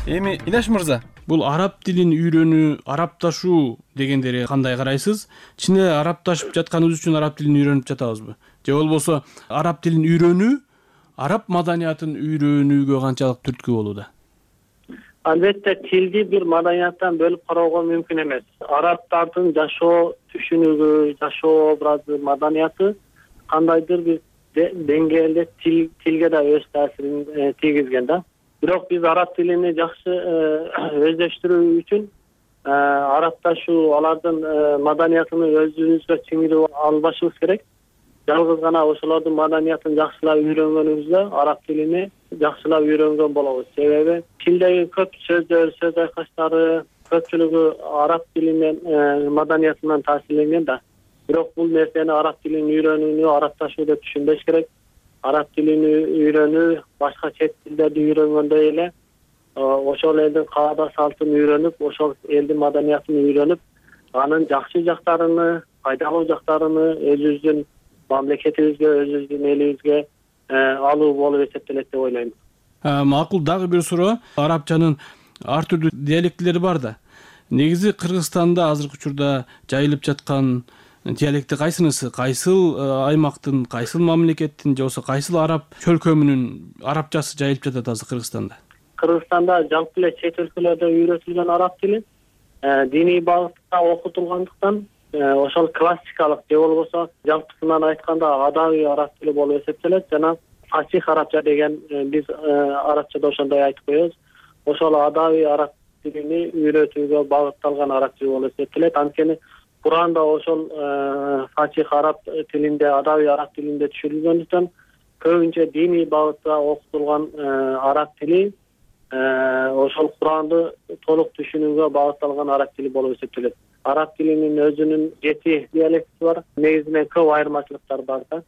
Эми Инаш мырза, бул араб тилин үйрөнүү, арабташуу дегендерге кандай карайсыз? Чын эле арабташып жатканыбыз үчүн араб тилин үйрөнүп жатабызбы? Же болбосо араб тилин үйрөнүү араб маданиятын үйрөнүүгө канчалык түрткү болууда? Албетте тилди бир маданияттан бөлүп кароого мүмкүн эмес. Арабтардын жашоо түшүнүгү, жашоо образы, маданияты кандайдыр бир деңгээлде тилге да өз таасирин тийгизген да. Бирок биз араб тилини жакшы өздөштүрүү үчүн арабташуу, алардын маданиятын өзүбүзгө сиңирип албашыбыз керек. Жалгыз гана ошолордун маданиятын жакшылап үйрөнгөнүбүздө араб тилини жакшылап үйрөнгөн болобуз. Себеби тилдеги көп сөздөр, сөз айкаштары көпчүлүгү араб тилинен, маданиятынан таасирленген да. Бирок бул нерсени араб тилин үйрөнүүнү арабташуу деп түшүнбөш керек. Араб тилин үйрөнүү башка чет тилдерди үйрөнгөндөй эле ошол элдин каада салтын үйрөнүп, ошол элдин маданиятын үйрөнүп, анын жакшы жактарыны, пайдалуу жактарыны өзүбүздүн мамлекетибизге, өзүбүздүн элибизге алуу болуп эсептелет деп ойлойм. Макул, дагы бир суроо. Арабчанын ар түрдүү диалектилери бар да. Негизи Кыргызстанда азыркы учурда жайылып жаткан диалекти кайсынысы? Кайсыл аймактын, кайсыл мамлекеттин же болбосо кайсыл араб чөлкөмүнүн арабчасы жайылып жатат азыр Кыргызстанда? Кыргызстанда жалпы эле чет өлкөлөрдө үйрөтүлгөн араб тили диний багытта окутулгандыктан ошол классикалык же болбосо жалпысынан айтканда адабий араб тили болуп эсептелет жана фасих арабча деген биз арабчада ошондой айтып коебуз. Ошол адабий араб тилини үйрөтүүгө багытталган араб тили болуп эсептелет. Анткени Куранда ошол фасих араб тилинде, адабий араб тилинде түшүрүлгөндүктөн көбүнчө диний багытта окутулган араб тили ошол Куранды толук түшүнүүгө багытталган араб тили болуп эсептелет. Араб тилинин өзүнүн жети диалекти бар. Негизинен көп айырмачылыктар бар да.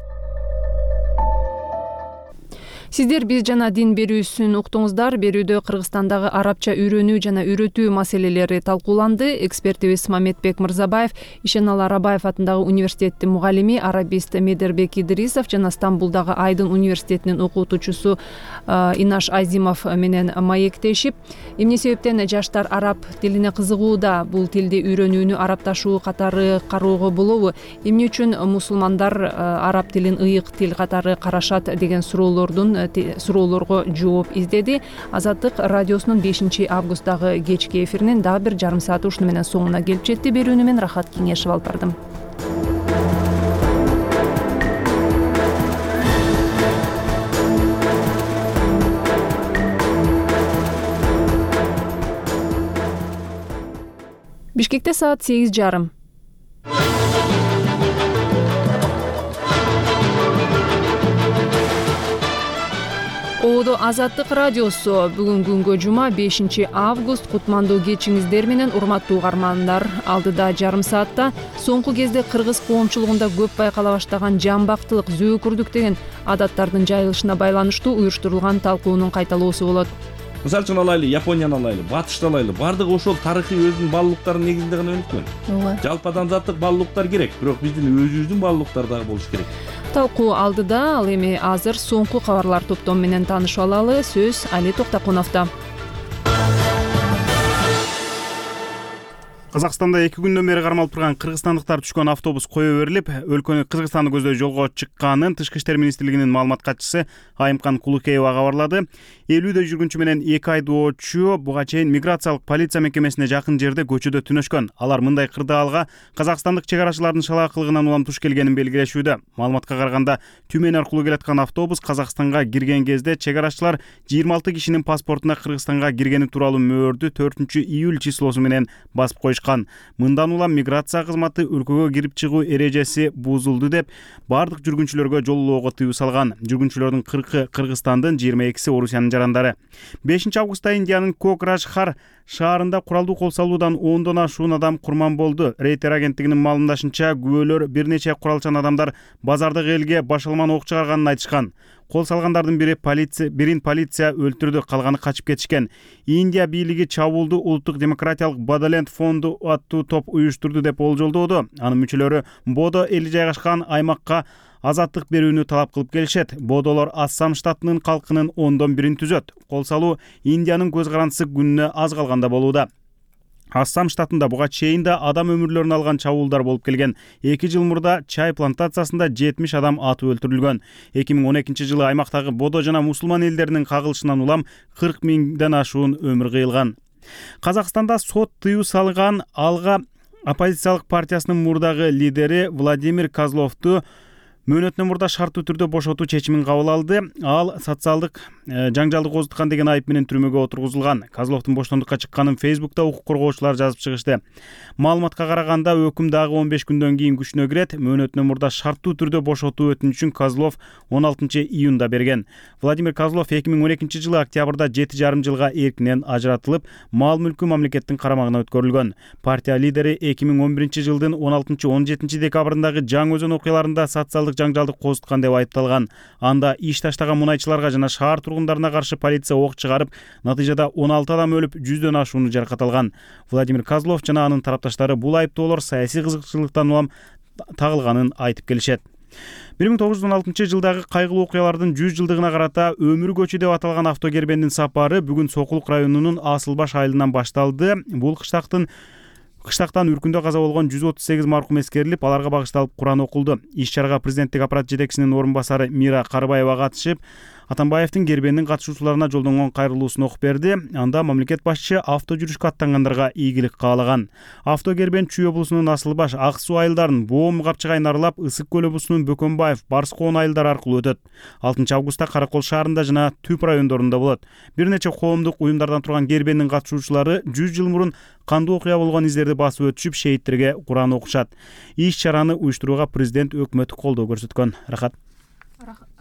Сиздер биз жана дин берүүсүн уктуңуздар. Берүүдө Кыргызстандагы арабча үйрөнүү жана үйрөтүү маселелери талкууланды. Экспертибиз Мамедбек Мырзабаев, Ишеналы Арабаев атындагы университеттин мугалими арабист Медербек Идирисов жана Стамбулдагы Айдын университетинин окутуучусу Инаш Азимов менен маектешип, эмне себептен жаштар араб тилине кызыгууда, бул тилди үйрөнүүнү арабташуу катары кароого болобу, эмне үчүн мусулмандар араб тилин ыйык тил катары карашат деген суроолордун суроолорго жооп издеди. Азаттык радиосунун бешинчи августтагы кечки эфиринин дагы бир жарым сааты ушуну менен соңуна келип жетти. Берүүнү мен Рахат Кеңешев алып бардым. Бишкекте саат сегиз жарым. Оодо Азаттык радиосу. Бүгүн күнгө жума бешинчи август. Кутмандуу кечиңиздер менен, урматтуу угармандар. Алдыда жарым саатта соңку кезде кыргыз коомчулугунда көп байкала баштаган жамбактылык, зөөкүрдүк деген адаттардын жайылышына байланыштуу уюштурулган талкуунун кайталоосу болот. Мисалы үчүн алайлы, Японияны алайлы, Батышты алайлы. Бардыгы ошол тарыхый өзүнүн баалуулуктарынын негизинде гана өнүккөн. Ооба. Жалпы адамзаттык баалуулуктар керек, бирок биздин өзүбүздүн баалуулуктар дагы болуш керек. Талкуу алдыда, ал эми азыр соңку кабарлар топтому менен таанышып алалы. Сөз Али Токтокуновдо. Казакстанда эки күндөн бери кармалып турган кыргызстандыктар түшкөн автобус кое берилип, өлкөнү Кыргызстанды көздөй жолго чыкканын Тышкы иштер министрлигинин маалымат катчысы Айымкан Кулукеева кабарлады. элүүдөй жүргүнчү менен эки айдоочу буга чейин миграциялык полиция мекемесине жакын жерде көчөдө түнөшкөн. Алар мындай кырдаалга казакстандык чек арачылардын шалаакылыгынан улам туш келгенин белгилешүүдө. Маалыматка караганда, Түмен аркылуу келаткан автобус Казакстанга кирген кезде чек арачылар жыйырма алты кишинин паспортуна Кыргызстанга киргени тууралуу мөөрдү төртүнчү июль числосу менен басып коюшкан. Мындан улам миграция кызматы өлкөгө кирип чыгуу эрежеси бузулду деп бардык жүргүнчүлөргө жолоого тыюу салган. Жүргүнчүлөрдүн кыркы Кыргызстандын, жыйырма экиси Орусиянын жарандары. бешинчи августта Индиянын Кокражхар шаарында куралдуу кол салуудан ондон ашуун адам курман болду. Рейтер агенттигинин маалымдашынча, күбөлөр бир нече куралчан адамдар базардык элге башалман ок чыгарганын айтышкан. Кол салгандардын бири полиция, бирин полиция өлтүрдү, калганы качып кетишкен. Индия бийлиги чабуулду Улуттук демократиялык Боdoland фонду аттуу топ уюштурду деп болжолдоодо. Анын мүчөлөрү Бодо эли жайгашкан аймакка азаттык берүүнү талап кылып келишет. Бодолор Ассам штатынын калкынын ондон бирин түзөт. Кол салуу Индиянын көз карандысы күнүнө аз калганда болууда. Ассам штатында буга чейин да адам өмүрлөрүн алган чабуулдар болуп келген. эки жыл мурда чай плантациясында жетимиш адам атып өлтүрүлгөн. эки миң он экинчи жылы аймактагы Бодо жана мусулман элдеринин кагылышынан улам кырк миңден ашуун өмүр кыйылган. Казакстанда сот тыюу салган алга оппозициялык партиясынын мурдагы лидери Владимир Козловду мөөнөтүнөн мурда шарттуу түрдө бошотуу чечимин кабыл алды. Ал социалдык жаңжалды козуткан деген айып менен түрмөгө отургузулган. Козловдун боштондукка чыкканын Фейсбукта укук коргоочулар жазып чыгышты. Маалыматка караганда, өкүм дагы он беш күндөн кийин күчүнө кирет. Мөөнөтүнөн мурда шарттуу түрдө бошотуу өтүнүчүн Козлов он алтынчы июнда берген. Владимир Козлов эки миң он экинчи жылы октябрда жети жарым жылга эркинен ажыратылып, мал мүлкү мамлекеттин карамагына өткөрүлгөн. Партия лидери эки миң он биринчи жылдын он алтынчы он жетинчи декабрындагы Жаң Өзөн окуяларында социалдык жаңжалды козуткан деп айыпталган. Анда иш таштаган мунайчыларга жана шаар тургундарына каршы полиция ок чыгарып, натыйжада он алты адам өлүп, жүздөн ашууну жаракат алган. Владимир Козлов жана анын тарапташтары бул айыптоолор саясий кызыкчылыктан улам тагылганын айтып келишет. бир миң тогуз жүз он алтынчы жылдагы кайгылуу окуялардын жүз жылдыгына карата Өмүр көчү деп аталган автокербендин сапары бүгүн Сокулук районунун Асылбаш айылынан башталды. Бул кыштактын Кыштактан үркүндө каза болгон жүз отуз сегиз маркум эскерилип, аларга багышталып Куран окулду. Иш-чарага президенттик аппарат жетекчисинин орун басары Мира Карыбаева катышып, Атамбаевдин кербендин катышуучуларына жолдонгон кайрылуусун окуп берди. Анда мамлекет башчы авто жүрүшкө аттангандарга ийгилик каалаган. Авто кербен Чүй облусунун Асылбаш, Ак суу айылдарын, Боом, Капчыгайын аралап, Ысык көл облусунун Бөкөнбаев, Барыс коон айылдары аркылуу өтөт. алтынчы августта Каракол шаарында жана Түп райондорунда болот. Бир нече коомдук уюмдардан турган кербендин катышуучулары жүз жыл мурун кандуу окуя болгон издерди басып өтүшүп, шейттерге Куран окушат. Иш-чараны уюштурууга президент өкмөт колдоо көрсөткөн. Рахат.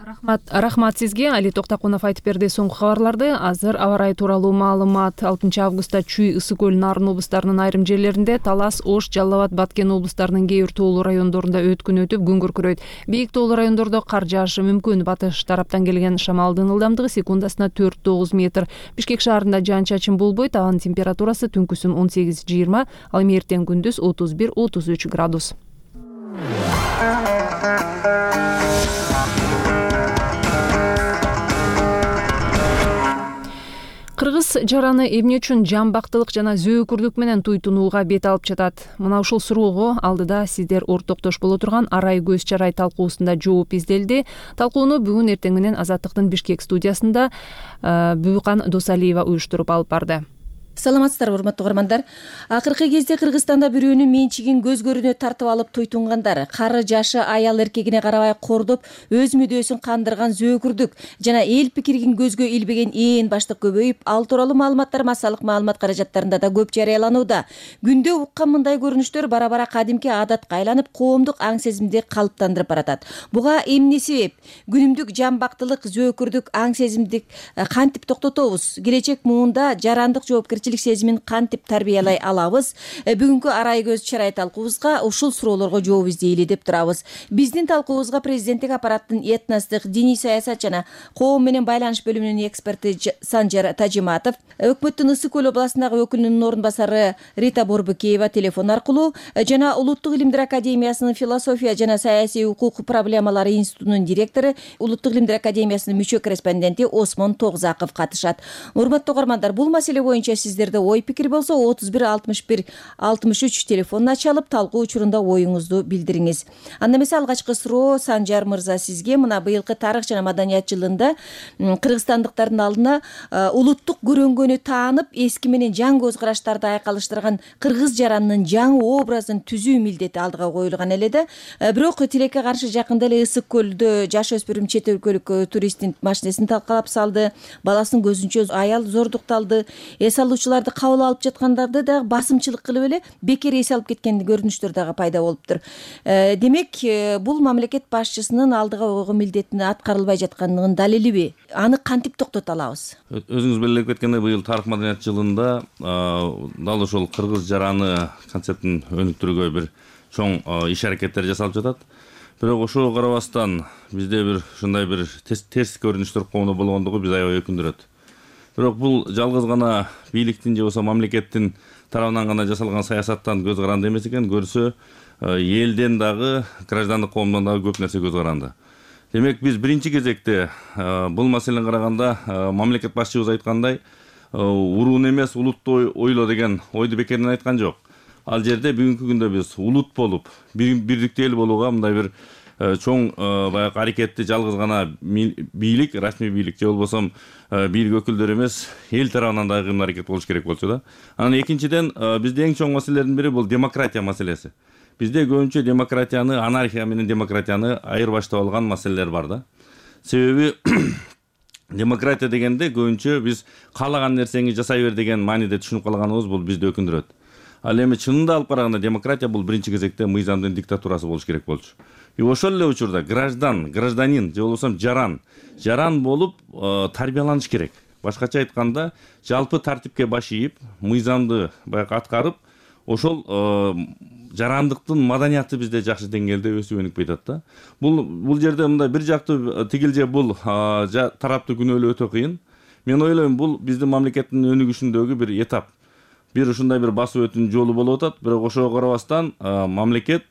Рахмат, рахмат сизге. Али Токтокунов айтып берди соңку кабарларды. Азыр аба ырайы тууралуу маалымат. алтынчы августта Чүй, Ысык көл, Нарын облустарынын айрым жерлеринде, Талас, Ош, Жалал Абад, Баткен облустарынын кээ бир тоолуу райондорунда өткүн өтүп, күн күркүрөйт. Бийик тоолуу райондордо кар жаашы мүмкүн. Батыш тараптан келген шамалдын ылдамдыгы секундасына төрт тогуз метр. Бишкек шаарында жаан-чачын болбойт. Абанын температурасы түнкүсүн он сегиз жыйырма, ал эми эртең күндүз отуз бир отуз үч градус. кыргыз жараны эмне үчүн жамбактылык жана зөөкүрлүк менен туйтунууга бет алып жатат? Мына ушул суроого алдыда сиздер ортоктош боло турган Арай көз чарай талкуусунда жооп изделди. Талкууну бүгүн эртең менен Азаттыктын Бишкек студиясында Бүкан Досалиева уюштуруп алып барды. Саламатсыздарбы, урматтуу угармандар. Акыркы кезде Кыргызстанда бирөөнүн менчигин көз көрүнө тартып алып туйтунгандар, кары жашы аял эркегине карабай кордоп, өз мүдөөсүн кандырган зөөкүрдүк жана эл пикирин көзгө илбеген ээн баштык көбөйүп, ал тууралуу маалыматтар массалык маалымат каражаттарында да көп жарыяланууда. Күндө уккан мындай көрүнүштөр бара-бара кадимки адатка айланып, коомдук аң сезимди калыптандырып баратат. Буга эмне себеп? Күнүмдүк жамбактылык, зөөкүрдүк аң сезимди кантип токтотобуз? Келечек муунда жарандык жоопкерчилик сезимин кантип тарбиялай алабыз? Бүгүнкү Арай көз чарай талкуубузга ушул суроолорго жооп издейли деп турабыз. Биздин талкуубузга президенттик аппараттын этностук, диний саясат жана коом менен байланыш бөлүмүнүн эксперти Санжар Тажиматов, өкмөттүн Ысык көл областындагы өкүлүнүн орун басары Рита Борбукеева телефон аркылуу жана Улуттук илимдер академиясынын философия жана саясий укук проблемалары институтунун директору, Улуттук илимдер академиясынын мүчө корреспонденти Осмон Тогзаков катышат. Урматтуу угармандар, бул маселе боюнча сиздерде ой пикир болсо отуз бир алтымыш бир алтымыш үч телефонун ачалып, талкуу учурунда оюңузду билдириңиз. Анда эмесе алгачкы суроо Санжар мырза сизге. Мына быйылкы тарых жана маданият жылында кыргызстандыктардын алдына улуттук көрөнгөнү таанып, эски менен жаңы көз караштарды айкалыштырган кыргыз жаранынын жаңы образын түзүү милдети алдыга коюлган эле да. Бирок тилекке каршы жакында эле Ысык көлдө жаш өспүрүм чет өлкөлүк туристтин машинесин талкалап салды, баласынын көзүнчө аял зордукталды. Эс алуучуларды кабыл алып жаткандарды да басымчылык кылып эле бекер эс алып кеткен көрүнүштөр дагы пайда болуптур. Демек, бул мамлекет башчысынын алдыга койгон милдетин аткарылбай жаткандыгынын далилиби? Аны кантип токтото алабыз? Өзүңүз белгилеп кеткендей, быйыл тарых маданият жылында дал ошол кыргыз жараны концептин өнүктүрүүгө бир чоң иш аракеттер жасалып жатат. Бирок ошого карабастан бизде бир ушундай бир терс көрүнүштөр коомдо болгондугу биз аябай өкүндүрөт. Бирок бул жалгыз гана бийликтин же болбосо мамлекеттин тарабынан гана жасалган саясаттан көз каранды эмес экен, көрсө элден дагы, граждандык коомдон дагы көп нерсе көз каранды. Демек, биз биринчи кезекте бул маселени караганда мамлекет башчыбыз айткандай, уруун эмес улутту ойло деген ойду бекерден айткан жок. Ал жерде бүгүнкү күндө биз улут болуп, бирдиктүү эл болууга мындай бир чоң баягы аракетти жалгыз гана бийлик, расмий бийлик же болбосо бийлик өкүлдөрү эмес, эл тарабынан дагы кыймыл аракет болуш керек болчу да. Анан экинчиден, бизде эң чоң маселелердин бири бул демократия маселеси. Бизде көбүнчө демократияны, анархия менен демократияны айырбаштап алган маселелер бар да. Себеби демократия дегенде көбүнчө биз каалаган нерсеңи жасай бер деген мааниде түшүнүп калганыбыз бул бизди өкүндүрөт. Ал эми чынында алып караганда демократия бул биринчи кезекте мыйзамдын диктатурасы болуш керек болчу. И ошол эле учурда граждан, гражданин же болбосо жаран, жаран болуп тарбияланыш керек. Башкача айтканда, жалпы тартипке баш ийип, мыйзамды баягы аткарып, ошол жарандыктын маданияты бизде жакшы деңгээлде өсүп өнүкпөй атат да. Бул бул жерде мындай бир жактуу тигил же бул тараптуу күнөөлөө өтө кыйын. Мен ойлойм, бул биздин мамлекеттин өнүгүшүндөгү бир этап. Бир ушундай бир басып өтүүнүн жолу болуп атат, бирок ошого карабастан мамлекет,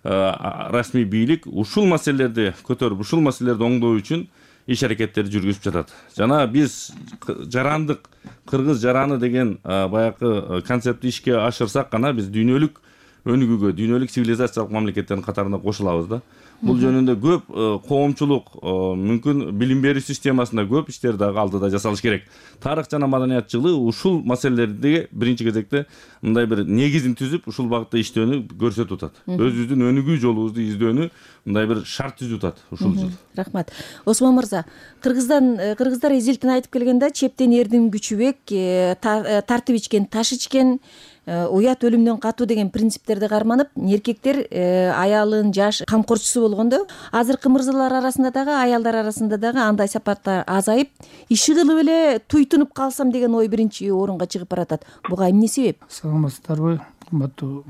расмий бийлик ушул маселелерди көтөрүп, ушул маселелерди оңдоо үчүн иш аракеттерди жүргүзүп жатат. Жана биз жарандык, кыргыз жараны деген баягы концептти ишке ашырсак гана биз дүйнөлүк өнүгүүгө, дүйнөлүк цивилизациялык мамлекеттердин катарына кошулабыз да. Бул жөнүндө көп коомчулук, мүмкүн билим берүү системасында көп иштер дагы алдыда жасалыш керек. Тарых жана маданият жылы ушул маселелерди биринчи кезекте мындай бир негизин түзүп, ушул багытта иштөөнү көрсөтүп атат. Өзүбүздүн өнүгүү жолубузду издөөнү мындай бир шарт түзүп атат ушул жыл. Рахмат. Осмон мырза, Кыргыздан кыргыздар эзилтин айтып келгенде, чептен эрдин күчүбек, тартып ичкен таш ичкен, уят өлүмдөн катуу деген принциптерди карманып, эркектер аялын жаш камкорчусу болгондо, азыркы мырзалар арасында дагы, аялдар арасында дагы андай сапаттар азайып, иши кылып эле туйтунуп калсам деген ой биринчи орунга чыгып баратат. Буга эмне себеп? Саламатсыздарбы, кымбаттуу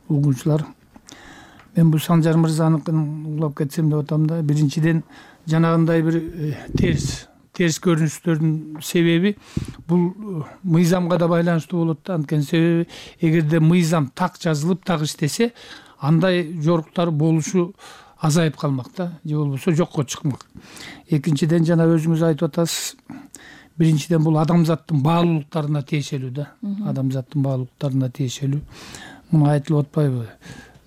угуучулар. Мен бул Санжар мырзаныкын улап кетсем деп атам да, биринчиден жанагындай бир терс терс көрүнүштөрдүн себеби бул мыйзамга да байланыштуу болот да. Анткени себеби эгерде мыйзам так жазылып, так иштесе, андай жоруктар болушу азайып калмак да, же болбосо жокко чыкмак. Экинчиден, жана өзүңүз айтып атасыз, биринчиден бул адамзаттын баалуулуктарына тиешелүү да, адамзаттын баалуулуктарына тиешелүү. Муну айтылып атпайбы?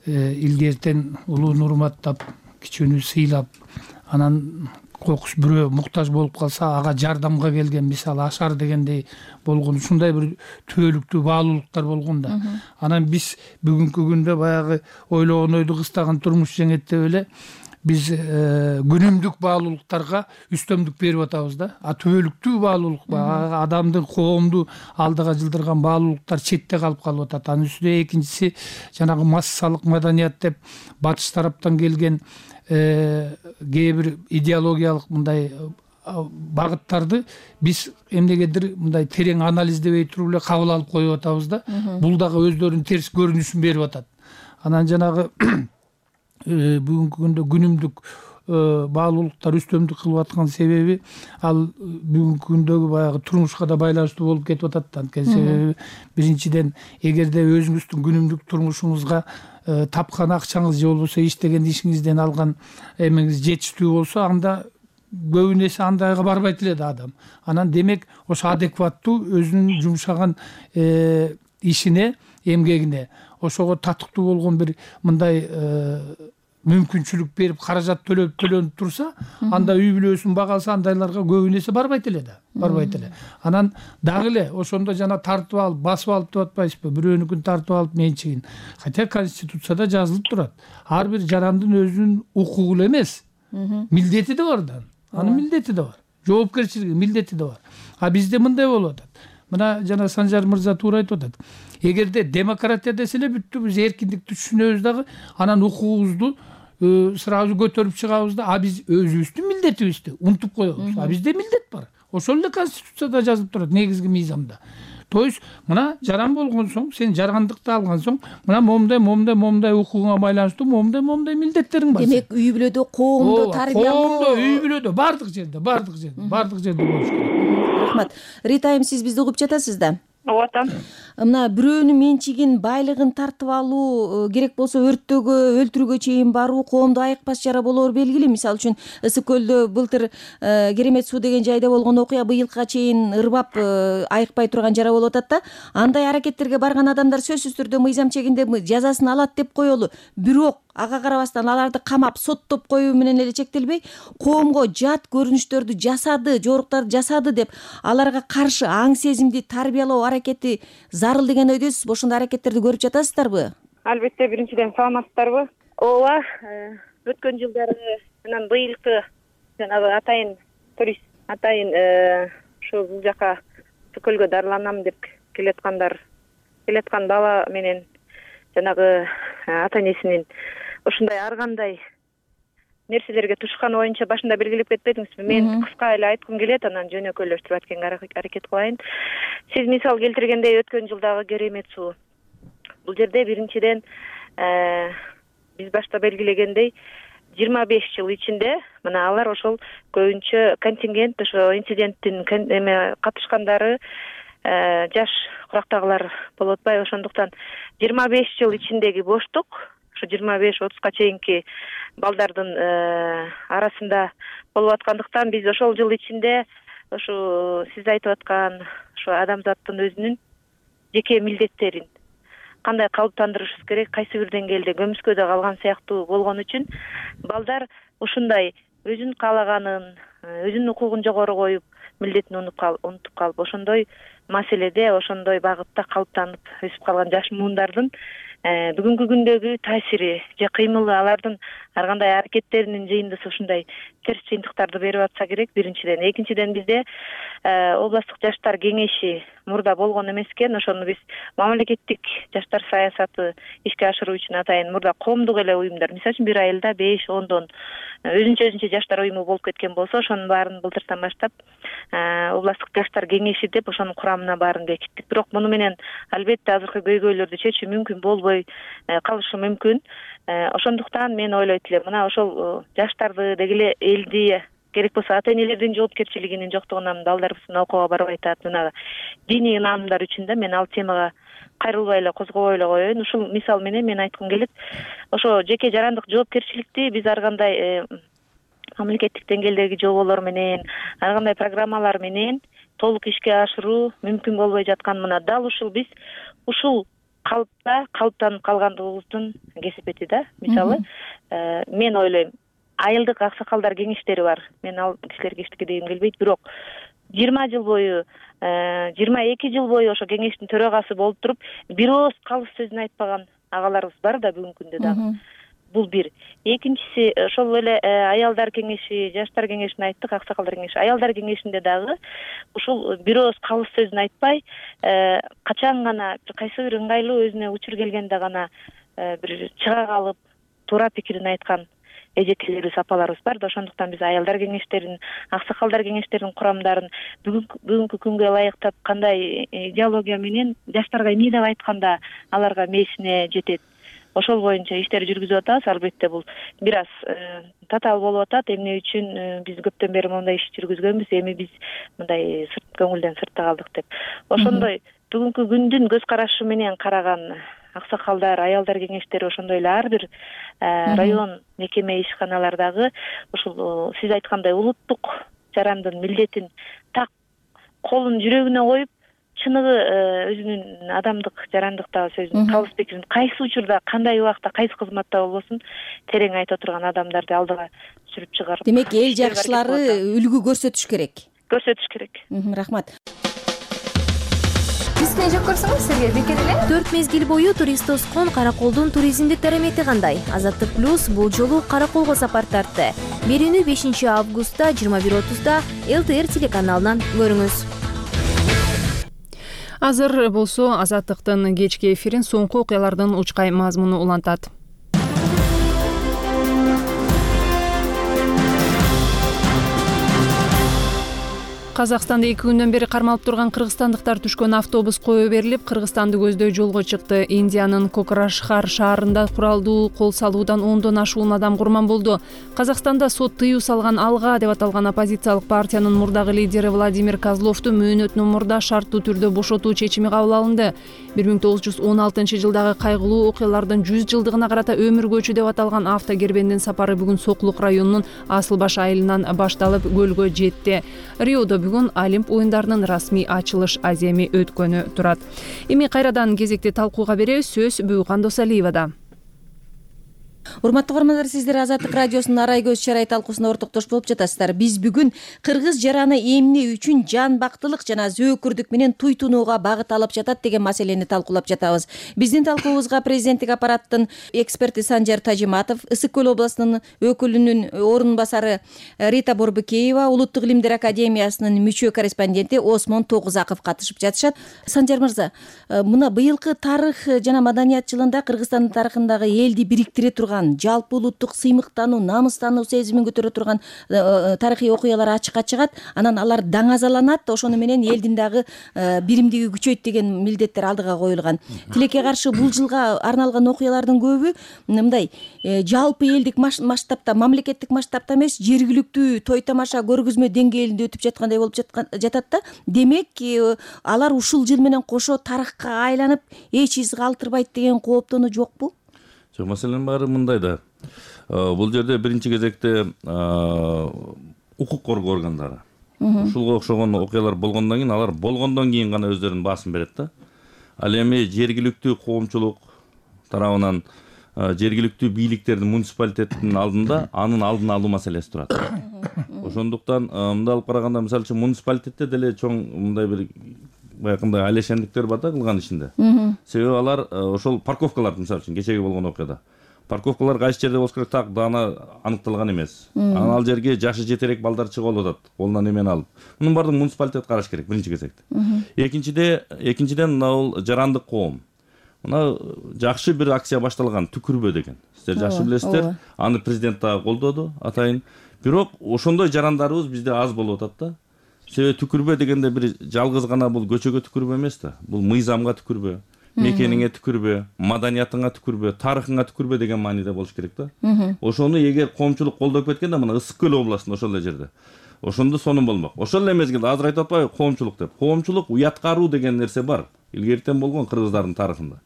Илгертен улууну урматтап, кичүүнү сыйлап, анан кокус бирөө муктаж болуп калса ага жардамга келген, мисалы Ашар дегендей болгон, ушундай бир түбөлүктүү баалуулуктар болгон да. Анан биз бүгүнкү күндө баягы ойлогон ойду кыстаган турмуш жеңет деп эле биз күнүмдүк баалуулуктарга үстөмдүк берип атабыз да. А түбөлүктүү баалуулук, адамдын коомду алдыга жылдырган баалуулуктар четте калып калып атат. Анын үстүнө экинчиси жанагы массалык маданият деп батыш тараптан келген кээ бир идеологиялык мындай багыттарды биз эмнегедир мындай терең анализдебей туруп эле кабыл алып коюп атабыз да. Бул дагы өздөрүнүн терс көрүнүшүн берип атат. Анан жанагы бүгүнкү күндө күнүмдүк баалуулуктар үстөмдүк кылып аткан себеби ал бүгүнкү күндөгү баягы турмушка да байланыштуу болуп кетип атат да. Анткени себеби биринчиден эгерде өзүңүздүн күнүмдүк турмушуңузга тапкан акчаңыз же болбосо иштеген ишиңизден алган эмеңиз жетиштүү болсо, анда көбүнесе андайга барбайт эле да адам. Анан демек ошо адекваттуу өзүнүн жумшаган ишине, эмгегине, ошого татыктуу болгон бир мындай мүмкүнчүлүк берип каражат төлөп төлөнүп турса, анда үй бүлөсүн бага алса, андайларга көбүнесе барбайт эле да, барбайт эле. Анан дагы эле ошондо жана тартып алып, басып алып деп атпайсызбы, бирөөнүкүн тартып алып менчигин. Хотя конституцияда жазылып турат. Ар бир жарандын өзүнүн укугу эле эмес, милдети да бар да. Анын милдети да бар. Жоопкерчилиги, милдети да бар. А бизде мындай болуп атат. Мына жана Санжар мырза туура айтып атат. Эгерде демократия десе эле бүттү, биз эркиндикти түшүнөбүз дагы, анан укугубузду сразу көтөрүп чыгабыз да, а биз өзүбүздүн милдетибизди унутуп коебуз. А бизде милдет бар. Ошол эле конституцияда жазылып турат, негизги мыйзамда. То есть мына жаран болгон соң, сен жаргандыкты алган соң, мына момундай, момундай, момундай укугуңа байланыштуу момундай, момундай милдеттериң бар. Демек үй бүлөдө, коомдо, тарбиялоо, коомдо, үй бүлөдө, бардык жерде, бардык жерде, бардык жерде болуш керек. Рахмат. Рита айым, сиз бизди угуп жатасыз да? Ооба атам. Мына бирөөнүн менчигин, байлыгын тартып алуу, керек болсо өрттөөгө, өлтүрүүгө чейин баруу коомдо айыкпас жара болоор белгилүү. Мисалы үчүн Ысык көлдө былтыр Керемет суу деген жайда болгон окуя быйылга чейин ырбап айыкпай турган жара болуп атат да. Андай аракеттерге барган адамдар сөзсүз түрдө мыйзам чегинде жазасын алат деп коелу. Бирок ага карабастан аларды камап соттоп коюу менен эле чектелбей, коомго жат көрүнүштөрдү жасады, жоруктарды жасады деп аларга каршы аң сезимди тарбиялоо аракети зарыл деген ойдосузбу? Ошондой аракеттерди көрүп жатасыздарбы? Албетте, биринчиден саламатсыздарбы? Ооба, өткөн жылдары менен быйылкы жанагы атайын турист, атайын ушу бул жака Көлгө дарыланам деп келаткандар, келаткан бала менен жанагы ата энесинин ушундай ар кандай нерселерге тушканы боюнча башында белгилеп кетпедиңизби? Мен кыска эле айткым келет, анан жөнөкөйлөштүрүп айтканга аракет кылайын. Сиз мисал келтиргендей өткөн жылдагы Керемет суу. Бул жерде биринчиден биз башта белгилегендей жыйырма беш жыл ичинде мына алар ошол көбүнчө контингент, ошо инциденттин эме катышкандары жаш курактагылар болуп атпайбы? Ошондуктан жыйырма беш жыл ичиндеги боштук ушу жыйырма беш отузга чейинки балдардын арасында болуп аткандыктан биз ошол жыл ичинде ушу сиз айтып аткан ушу адамзаттын өзүнүн жеке милдеттерин кандай калыптандырышыбыз керек, кайсы бир деңгээлде көмүскөдө калган сыяктуу болгон үчүн балдар ушундай өзүн каалаганын, өзүнүн укугун жогору коюп, милдетин унутуп калып, ошондой маселеде, ошондой багытта калыптанып өсүп калган жаш муундардын бүгүнкү күндөгү таасири же кыймылы, алардын ар кандай аракеттеринин жыйындысы ушундай терс жыйынтыктарды берип атса керек, биринчиден. Экинчиден, бизде областтык жаштар кеңеши мурда болгон эмес экен. Ошону биз мамлекеттик жаштар саясаты ишке ашыруу үчүн атайын мурда коомдук эле уюмдар, мисалы үчүн бир айылда беш ондон өзүнчө өзүнчө жаштар уюму болуп кеткен болсо, ошонун баарын былтыртан баштап областтык жаштар кеңеши деп ошонун курамына баарын бекиттик. Бирок муну менен албетте азыркы көйгөйлөрдү чечүү мүмкүн болбой калышы мүмкүн. Ошондуктан мен ойлойт элем, мына ошол жаштарды деги эле элди, керек болсо ата энелердин жоопкерчилигинин жоктугунан балдарыбыздын окууга барбай атат, мына диний ынаанымдар үчүн да мен ал темага кайрылбай эле козгобой эле коеюн. Ушул мисал менен мен айткым келет, ошо жеке жарандык жоопкерчиликти биз ар кандай мамлекеттик деңгээлдеги жоболор менен, ар кандай программалар менен толук ишке ашыруу мүмкүн болбой жаткан мына дал ушул биз ушул калыпта калыптанып калгандыгыбыздын кесепети да. Мисалы мен ойлойм, айылдык аксакалдар кеңештери бар. Мен ал кишилерге эчтеке дегим келбейт, бирок жыйырма жыл бою жыйырма эки жыл бою ошо кеңештин төрагасы болуп туруп бир ооз калыс сөзүн айтпаган агаларыбыз бар да бүгүнкү күндө дагы. Бул бир. Экинчиси, ошол эле аялдар кеңеши, жаштар кеңешин айттык, аксакалдар кеңеши. Аялдар кеңешинде дагы ушул бир ооз калыс сөзүн айтпай, качан гана кайсы бир ыңгайлуу өзүнө учур келгенде гана бир чыга калып, туура пикирин айткан эжекелерибиз, апаларыбыз бар да. Ошондуктан биз аялдар кеңештерин, аксакалдар кеңештеринин курамдарын бүгүнкү күнгө ылайыктап кандай идеология менен жаштарга эмне деп айтканда аларга мээсине жетет, ошол боюнча иштер жүргүзүп атабыз. Албетте бул бир аз татаал болуп атат. Эмне үчүн биз көптөн бери мондай иш жүргүзгөнбүз, эми биз мындай сырт көңүлдөн сыртта калдык деп. Ошондой бүгүнкү күндүн көз карашы менен караган аксакалдар, аялдар кеңештери, ошондой эле ар бир район мекеме ишканалардагы ушул сиз айткандай улуттук жарандын милдетин так колун жүрөгүнө коюп, чыныгы өзүнүн адамдык, жарандыктагы сөзүн, калыс пикирин кайсы учурда, кандай убакта, кайсы кызматта болбосун терең айта турган адамдарды алдыга сүрүп чыгарып. Демек, эл жакшылары үлгү көрсөтүш керек. Көрсөтүш керек. Рахмат. Бизге жок көрсөңүз сизге бекер эле. төрт мезгил бою турист тоскон Караколдун туризмдик дарамети кандай? Азаттык плюс бул жолу Караколго сапар тартты. Берүүнү бешинчи августта жыйырма бир отузда эл тэ эр телеканалынан көрүңүз. Азыр болсо Азаттыктын кечки эфирин соңку окуялардын учкай мазмуну улантат. Казакстанда эки күндөн бери кармалып турган кыргызстандыктар түшкөн автобус кое берилип, Кыргызстанды көздөй жолго чыкты. Индиянын Кокрашхар шаарында куралдуу кол салуудан ондон ашуун адам курман болду. Казакстанда сот тыюу салган Алга деп аталган оппозициялык партиянын мурдагы лидери Владимир Козловду мөөнөтүнөн мурда шарттуу түрдө бошотуу чечими кабыл алынды. бир миң тогуз жүз он алтынчы жылдагы кайгылуу окуялардын жүз жылдыгына карата өмүргөчү деп аталган автокербендин сапары бүгүн Соклук районунун Асылбаш айылынан башталып көлгө жетти. Риодо бүгүн Олимп оюндарынын расмий ачылыш аземи өткөнү турат. Эми кайрадан кезекти талкууга беребиз. Сөз Бүйкан Досалиевада. Урматтуу көрөрмандар, сиздер Азаттык радиосунун арай көз чарай талкуусуна ортоктош болуп жатасыздар. Биз бүгүн кыргыз жараны эмне үчүн жанбактылык жана зөөкүрдүк менен туйтунууга багыт алып жатат деген маселени талкуулап жатабыз. Биздин талкуубузга президенттик аппараттын эксперти Санжар Тажиматов, Ысык көл областынын өкүлүнүн орун басары Рита Борбукеева, Улуттук илимдер академиясынын мүчө корреспонденти Осмон Тогузаков катышып жатышат. Санжар мырза, мына быйылкы тарых жана маданият жылында Кыргызстандын тарыхындагы элди бириктире турган, жалпы улуттук сыймыктануу, намыстануу сезимин көтөрө турган тарыхый окуялар ачыкка чыгат. Анан алар даңазаланат, ошону менен элдин дагы биримдиги күчөйт деген милдеттер алдыга коюлган. Тилекке каршы бул жылга арналган окуялардын көбү мындай жалпы элдик масштабта, мамлекеттик масштабта эмес, жергиликтүү той тамаша көргөзмө деңгээлинде өтүп жаткандай болуп жатат да. Демек, алар ушул жыл менен кошо тарыхка айланып, эч из калтырбайт деген кооптонуу жокпу? Жок, маселенин баары мындай да. Бул жерде биринчи кезекте укук коргоо органдары. Ушулга окшогон окуялар болгондон кийин, алар болгондон кийин гана өздөрүнүн баасын берет да. Ал эми жергиликтүү коомчулук тарабынан жергиликтүү бийликтердин, муниципалитеттин алдында анын алдын алуу маселеси турат. Ошондуктан мындай алып караганда, мисалы үчүн муниципалитетте деле чоң мындай бир баягындай алешендиктер бар да кылган ишинде. Себеби алар ошол парковкалар, мисалы үчүн кечеги болгон окуяда, парковкалар кайсы жерде болуш керек так даана аныкталган эмес. Анан ал жерге жашы жетерээк балдар чыгып атат, колунан эмени алып. Мунун баардыгын муниципалитет караш керек биринчи кезекте. Экинчиде, экинчиден мына бул жарандык коом. Мына жакшы бир акция башталган, түкүрбө деген. Сиздер жакшы билесиздер. Аны президент дагы колдоду атайын. Бирок ошондой жарандарыбыз бизде аз болуп атат да. Себеби түкүрбө дегенде бир жалгыз гана бул көчөгө түкүрбө эмес да. Бул мыйзамга түкүрбө, мекениңе түкүрбө, маданиятыңа түкүрбө, тарыхыңа түкүрбө деген мааниде болуш керек да. Ошону эгер коомчулук колдоп кеткенде, мына Ысык көл областында ошол эле жерде, ошондо сонун болмок. Ошол эле мезгилде азыр айтып атпайбы коомчулук деп. Коомчулук уяткаруу деген нерсе бар. Илгертен болгон кыргыздардын тарыхында.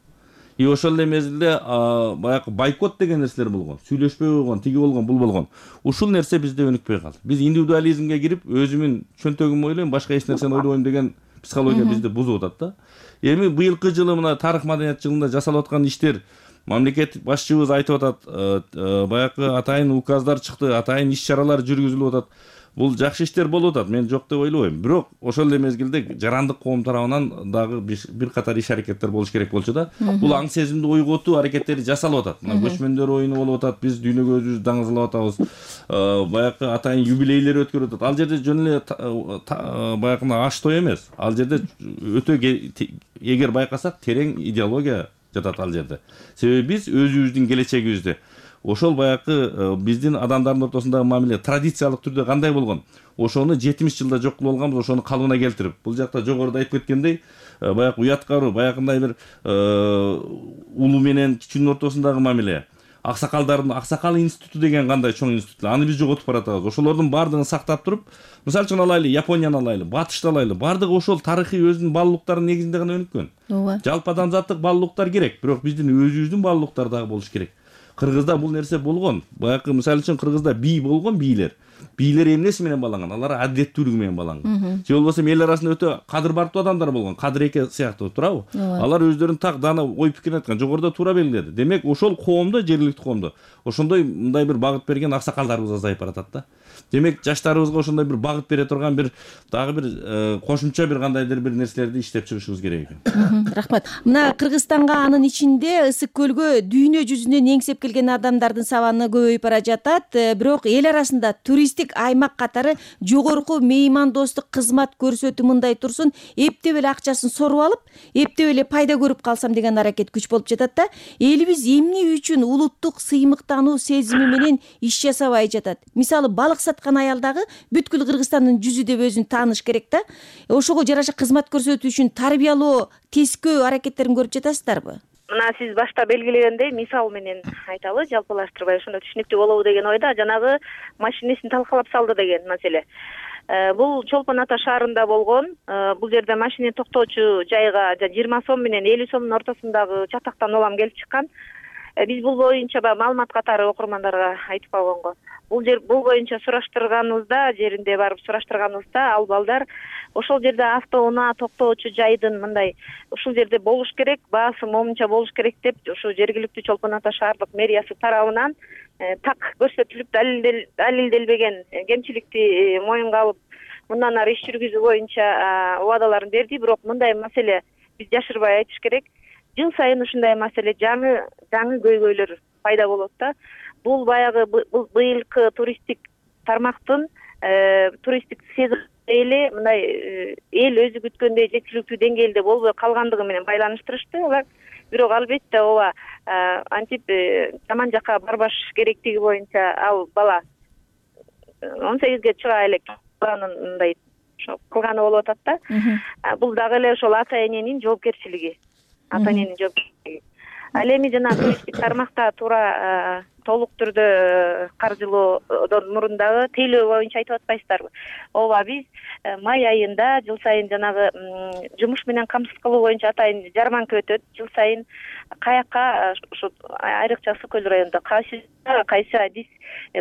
и ошол эле мезгилде баягы бойкот деген нерселер болгон, сүйлөшпөй койгон, тиги болгон, бул болгон. Ушул нерсе бизде өнүкпөй калды. Биз индивидуализмге кирип, өзүмүн чөнтөгүмдү ойлойм, башка эч нерсени ойлобойм деген психология бизди бузуп атат да. Эми быйылкы жылы мына тарых маданият жылында жасалып аткан иштер, мамлекет башчыбыз айтып атат, баягы атайын указдар чыкты, атайын иш-чаралар жүргүзүлүп атат. Бул жакшы иштер болуп атат, мен жок деп ойлобойм. Бирок ошол эле мезгилде жарандык коом тарабынан дагы бир катар иш-аракеттер болуш керек болчу да. Бул аң сезимди ойготуу аракеттери жасалып атат. Мына көчмөндөр оюну болуп атат, биз дүйнөгө өзүбүздү даңазалап атабыз. Баягы атайын юбилейлер өткөрүп атат. Ал жерде жөн эле баягы аш той эмес. Ал жерде өтө эгер байкасак терең идеология жатат ал жерде. Себеби биз өзүбүздүн келечегибизди ошол баягы биздин адамдардын ортосундагы мамиле традициялык түрдө кандай болгон, ошону жетимиш жылда жок кылып алганбыз, ошону калыбына келтирип, бул жакта жогоруда айтып кеткендей, баягы уяткаруу, баягындай бир улуу менен кичүүнүн ортосундагы мамиле, аксакалдардын аксакал институту деген кандай чоң институт, аны биз жоготуп баратабыз. Ошолордун баардыгын сактап туруп, мисалы үчүн алайлы, Японияны алайлы, Батышты алайлы, баардыгы ошол тарыхый өзүнүн баалуулуктарынын негизинде гана өнүккөн. Ооба. Жалпы адамзаттык баалуулуктар керек, бирок биздин өзүбүздүн баалуулуктар дагы болуш керек. Кыргызда бул нерсе болгон. Баягы мисалы үчүн Кыргызда бий болгон, бийлер. Бийлер эмнеси менен бааланган? Алар адеттүүлүгү менен бааланган. Же болбосо эл арасында өтө кадыр барктуу адамдар болгон. Кадыр эке сыяктуу, туурабы? Алар өздөрүнүн так дана ой пикирин айткан, жогоруда туура белгиледи. Демек, ошол коомдо, жергиликтүү коомдо ошондой мындай бир багыт берген аксакалдарыбыз азайып баратат да. Демек, жаштарыбызга ошондой бир багыт бере турган бир дагы бир кошумча бир кандайдыр бир нерселерди иштеп чыгышыбыз керек экен. Рахмат. Мына Кыргызстанга анын ичинде Ысык көлгө дүйнө жүзүнөн эңсеп келген адамдардын саны көбөйүп бара жатат, бирок эл арасында туристтик аймак катары жогорку меймандостук кызмат көрсөтүү мындай турсун, эптеп эле акчасын соруп алып, эптеп эле пайда көрүп калсам деген аракет күч болуп жатат да. Элибиз эмне үчүн улуттук сыймыктануу сезими менен иш жасабай жатат? Мисалы, балык саткан аял дагы бүткүл Кыргызстандын жүзү деп өзүн тааныш керек да. Ошого жараша кызмат көрсөтүү үчүн тарбиялоо, тескөө аракеттерин көрүп жатасыздарбы? Мына сиз башта белгилегендей мисал менен айталы, жалпылаштырбай ошондо түшүнүктүү болобу деген ойда жанагы машинесин талкалап салды деген маселе. Бул Чолпон Ата шаарында болгон. Бул жерде машина токтоочу жайга жыйырма сом менен элүү сомдун ортосундагы чатактан улам келип чыккан. Биз бул боюнча баягы маалымат катары окурмандарга айтып койгонго. Бул жер бул боюнча сураштырганыбызда, жеринде барып сураштырганыбызда, ал балдар ошол жерде автоунаа токтоочу жайдын мындай ушул жерде болуш керек, баасы момунча болуш керек деп ушу жергиликтүү Чолпон Ата шаардык мэриясы тарабынан так көрсөтүлүп далилделбеген кемчиликти моюнга алып, мындан ары иш жүргүзүү боюнча убадаларын берди. Бирок мындай маселе биз жашырбай айтыш керек. Жыл сайын ушундай маселе жаңы жаңы көйгөйлөр пайда болот да. Бул баягы быйылкы туристтик тармактын туристтик сезон эле мындай эл өзү күткөндөй жеткиликтүү деңгээлде болбой калгандыгы менен байланыштырышты алар. Бирок албетте ооба антип жаман жакка барбаш керектиги боюнча ал бала он сегизге чыга элек баланын мындай кылганы болуп атат да. Бул дагы эле ошол ата эненин жоопкерчилиги. Ата эненин жоопкерчилиги. Ал эми жана туристтик тармакта туура толук түрдө каржылоодон мурун дагы тейлөө боюнча айтып атпайсыздарбы? Ооба, биз май айында жыл сайын жанагы жумуш менен камсыз кылуу боюнча атайын жарманка өтөт. Жыл сайын каякка ушу айрыкча Ысык көл районунда кайсы кайсы адис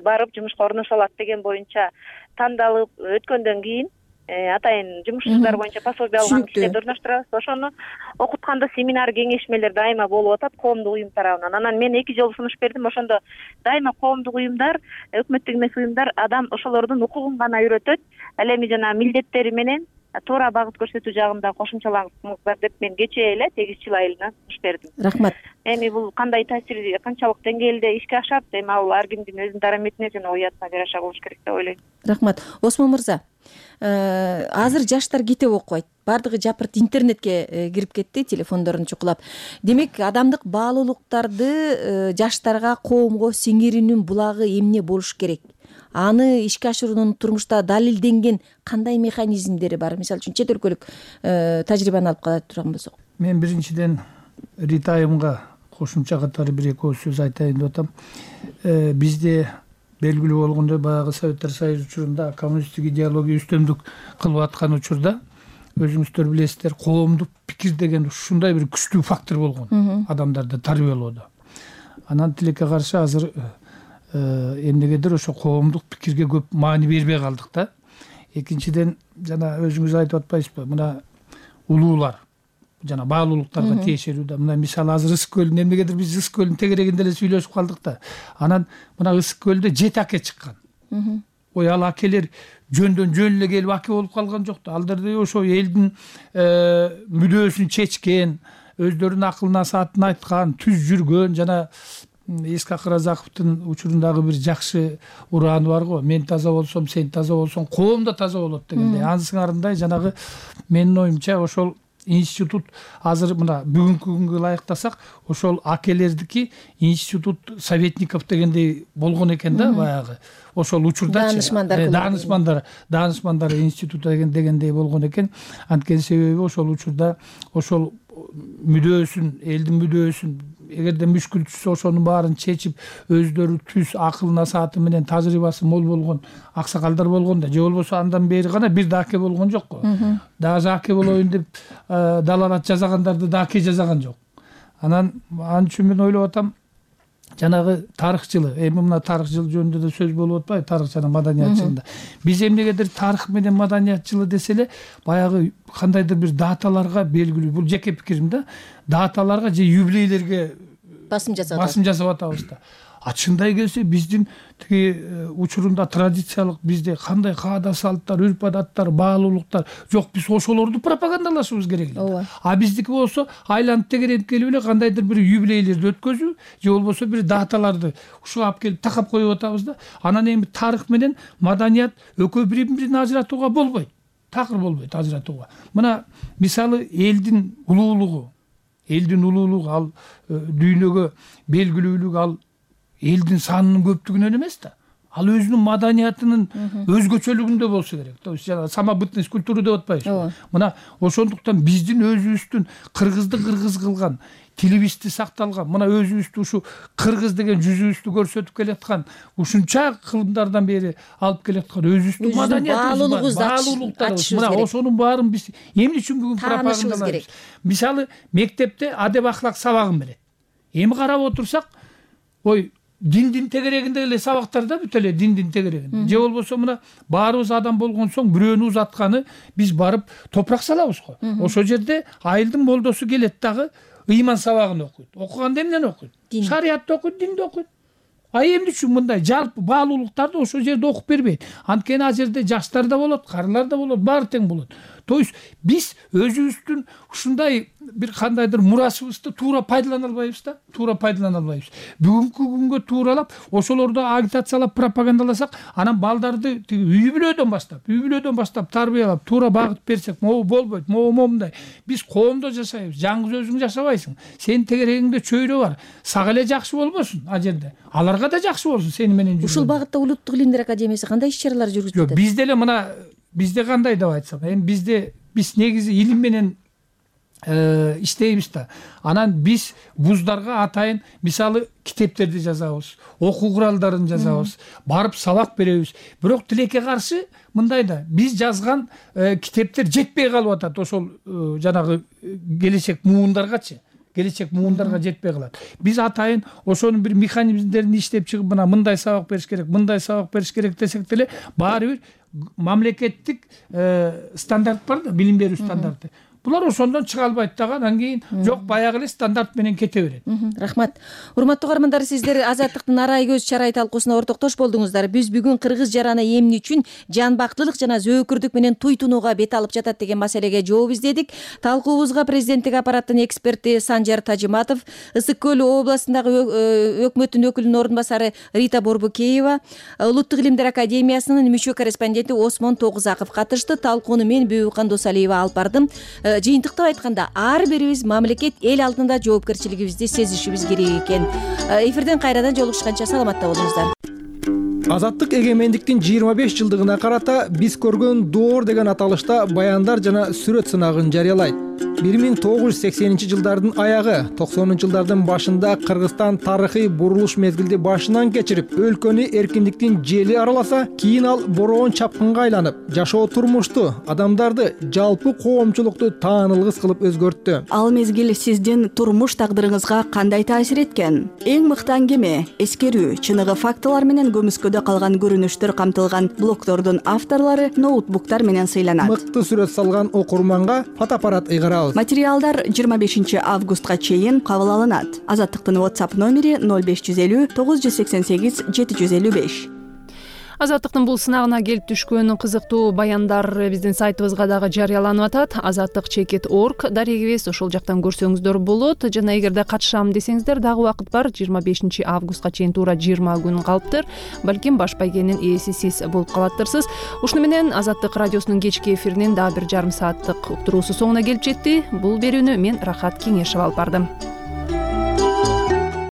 барып жумушка орношо алат деген боюнча тандалып өткөндөн кийин атайын жумушчулар боюнча пособие алган кишилерди орноштурабыз. Ошону окутканда семинар, кеңешмелер дайыма болуп атат коомдук уюм тарабынан. Анан мен эки жолу сунуш бердим. Ошондо дайыма коомдук уюмдар, өкмөттүк эмес уюмдар адам ошолордун укугун гана үйрөтөт. Ал эми жана милдеттери менен туура багыт көрсөтүү жагында кошумчалаңыздар деп мен кечээ эле сегизинчи жыл айылына сунуш бердим. Рахмат. Эми бул кандай таасир, канчалык деңгээлде ишке ашат, эми ал ар кимдин өзүнүн дараметине жана уятына жараша болуш керек деп ойлойм. Рахмат. Осмон мырза, азыр жаштар китеп окубайт. Бардыгы жапырт интернетке кирип кетти, телефондорун чукулап. Демек, адамдык баалуулуктарды жаштарга, коомго сиңирүүнүн булагы эмне болуш керек? Аны ишке ашыруунун турмушта далилденген кандай механизмдери бар? Мисалы үчүн чет өлкөлүк тажрыйбаны алып кала турган болсок. Мен биринчиден Ритайымга кошумча катары бир эки сөз айтайын деп атам. Бизде белгилүү болгондой баягы Советтер Союзу учурунда коммунисттик идеология үстөмдүк кылып аткан учурда өзүңүздөр билесиздер, коомдук пикир деген ушундай бир күчтүү фактор болгон адамдарды тарбиялоодо. Анан тилекке каршы азыр эмнегедир ошо коомдук пикирге көп маани бербей калдык да. Экинчиден, жана өзүңүз айтып атпайсызбы, мына улуулар жана баалуулуктарга тиешелүү да. Мына мисалы азыр Ысык көлүн, эмнегедир биз Ысык көлүнүн тегерегинде эле сүйлөшүп калдык да. Анан мына Ысык көлдө жети аке чыккан. Ой, ал акелер жөндөн жөн эле келип аке болуп калган жок да. Алдар ошо элдин мүдөөсүн чечкен, өздөрүнүн акылына саатын айткан, түз жүргөн. Жана Исхак Разаковдун учурундагы бир жакшы урааны бар го. Мен таза болсом, сен таза болсоң, коом да таза болот дегендей. Ансыңарындай жанагы менин оюмча ошол институт азыр мына бүгүнкү күнгө ылайыктасак, ошол акелердики институт советников дегендей болгон экен да, баягы. Ошол учурда даанышмандар даанышмандар даанышмандар институту дегендей болгон экен. Анткени себеби ошол учурда ошол мүдөөсүн, элдин мүдөөсүн, эгерде мүшкүл түшсө ошонун баарын чечип, өздөрү түз акылына сааты менен тажрыйбасы мол болгон аксакалдар болгон да. Же болбосо андан бери гана бир да аке болгон жок го. Даже аке болоюн деп далалат жасагандарды да аке жасаган жок. Анан ал үчүн мен ойлоп атам, жанагы тарых жылы, эми мына тарых жылы жөнүндө да сөз болуп атпайбы, тарых жана маданият жылында. Биз эмнегедир тарых менен маданият жылы десе эле, баягы кандайдыр бир даталарга белгилүү, бул жеке пикирим да, даталарга же юбилейлерге басым жасап басым жасап атабыз да. А чындай келсе биздин тиги учурунда традициялык бизде кандай каада салттар, үрп адаттар, баалуулуктар жок, биз ошолорду пропагандалашыбыз керек эле. А биздики болсо айланып тегеренип келип эле кандайдыр бир юбилейлерди өткөзүү же болбосо бир даталарды ушуга алып келип такап коюп атабыз да. Анан эми тарых менен маданият экөө бири-бирин ажыратууга болбойт. Такыр болбойт ажыратууга. Мына мисалы элдин улуулугу, элдин улуулугу ал дүйнөгө белгилүүлүгү ал элдин санынын көптүгүнөн эмес да. Ал өзүнүн маданиятынын өзгөчөлүгүндө болсо керек. То есть жана самобытность культуры деп атпайбызбы? Мына ошондуктан биздин өзүбүздүн кыргызды кыргыз кылган, тилибизди сакталган, мына өзүбүздү ушу кыргыз деген жүзүбүздү көрсөтүп келаткан, ушунча кылымдардан бери алып келаткан өзүбүздүн маданиятыбыз, баалуулуктарыбыз. Мына ошонун баарын биз эмне үчүн бүгүн пропагандалайбыз? Мисалы, мектепте адеп ахлак сабагын берет. Эми карап отурсак, ой, диндин тегерегинде эле сабактарда бүт эле диндин тегерегинде. Же болбосо мына баарыбыз адам болгон соң бирөөнү узатканы биз барып топурак салабыз го. Ошол жерде айылдын молдосу келет дагы ыйман сабагын окуйт. Окуганда эмнени окуйт? Шариятты окуйт, динди окуйт. А эмне үчүн мындай жалпы баалуулуктарды ошол жерде окуп бербейт? Анткени ал жерде жаштар да болот, карылар да болот, баары тең болот. То есть биз өзүбүздүн ушундай бир кандайдыр мурасыбызды туура пайдалана албайбыз да, туура пайдалана албайбыз. Бүгүнкү күнгө тууралап ошолорду агитациялап, пропагандаласак, анан балдарды үй бүлөдөн баштап, үй бүлөдөн баштап тарбиялап, туура багыт берсек, могу болбойт, могу момундай. Биз коомдо жашайбыз, жаңгыз өзүң жашабайсың. Сенин тегерегиңде чөйрө бар. Сага эле жакшы болбосун ал жерде. Аларга да жакшы болсун сени менен жүргөн. Ушул багытта Улуттук илимдер академиясы кандай иш-чаралар жүргүзүп жатат? Жок, бизде эле мына бизде кандай деп айтсам, эми бизде биз негизи илим менен иштейбиз да. Анан биз вуздарга атайын мисалы китептерди жазабыз, окуу куралдарын жазабыз, барып сабак беребиз. Бирок тилекке каршы мындай да, биз жазган китептер жетпей калып атат ошол жанагы келечек муундаргачы. Келечек муундарга жетпей калат. Биз атайын ошонун бир механизмдерин иштеп чыгып, мына мындай сабак бериш керек, мындай сабак бериш керек десек деле, баары бир мамлекеттик стандарт бар да, билим берүү стандарты. Булар ошондон чыга албайт дагы, анан кийин жок, баягы эле стандарт менен кете берет. Рахмат. Урматтуу угармандар, сиздер Азаттыктын арай көз чарай талкуусуна ортоктош болдуңуздар. Биз бүгүн кыргыз жараны эмне үчүн жанбактылык жана зөөкүрдүк менен туйтунууга бет алып жатат деген маселеге жооп издедик. Талкуубузга президенттик аппараттын эксперти Санжар Тажиматов, Ысык көл областындагы өкмөттүн өкүлүнүн ордун басары Рита Борбукеева, Улуттук илимдер академиясынын мүчө корреспонденти Осмон Тогузаков катышты. Талкууну мен Бүбүкан Досалиева алып бардым. Жыйынтыктап айтканда, ар бирибиз мамлекет эл алдында жоопкерчилигибизди сезишибиз керек экен. Эфирден кайрадан жолугушканча саламатта болуңуздар. Азаттык эгемендиктин жыйырма беш жылдыгына карата биз көргөн доор деген аталышта баяндар жана сүрөт сынагын жарыялайт. бир миң тогуз жүз сексенинчи жылдардын аягы токсонунчу жылдардын башында Кыргызстан тарыхый бурулуш мезгилди башынан кечирип, өлкөнү эркиндиктин жели араласа, кийин ал бороон чапкынга айланып, жашоо турмушту, адамдарды, жалпы коомчулукту таанылгыс кылып өзгөрттү. Ал мезгил сиздин турмуш тагдырыңызга кандай таасир эткен? Эң мыкты аңгеме, эскерүү, чыныгы фактылар менен көмүскөдө калган көрүнүштөр камтылган блогдордун авторлору ноутбуктар менен сыйланат. Мыкты сүрөт салган окурманга фотоаппарат ыйгарабыз. Материалдар жыйырма бешинчи августка чейин кабыл алынат. Азаттыктын WhatsApp номери ноль беш жүз элүү тогуз жүз сексен сегиз жети жүз элүү беш. Азаттыктын бул сынагына келип түшкөн кызыктуу баяндар биздин сайтыбызга дагы жарыяланып атат. азаттык чекит орг дарегибиз, ошол жактан көрсөңүздөр болот. Жана эгерде катышам десеңиздер, дагы убакыт бар. жыйырма бешинчи августка чейин туура жыйырма күн калыптыр. Балким баш байгенин ээси сиз болуп калаттырсыз. Ушуну менен Азаттык радиосунун кечки эфиринин дагы бир жарым сааттык уктуруусу соңуна келип жетти. Бул берүүнү мен Рахат Кеңешева алып бардым.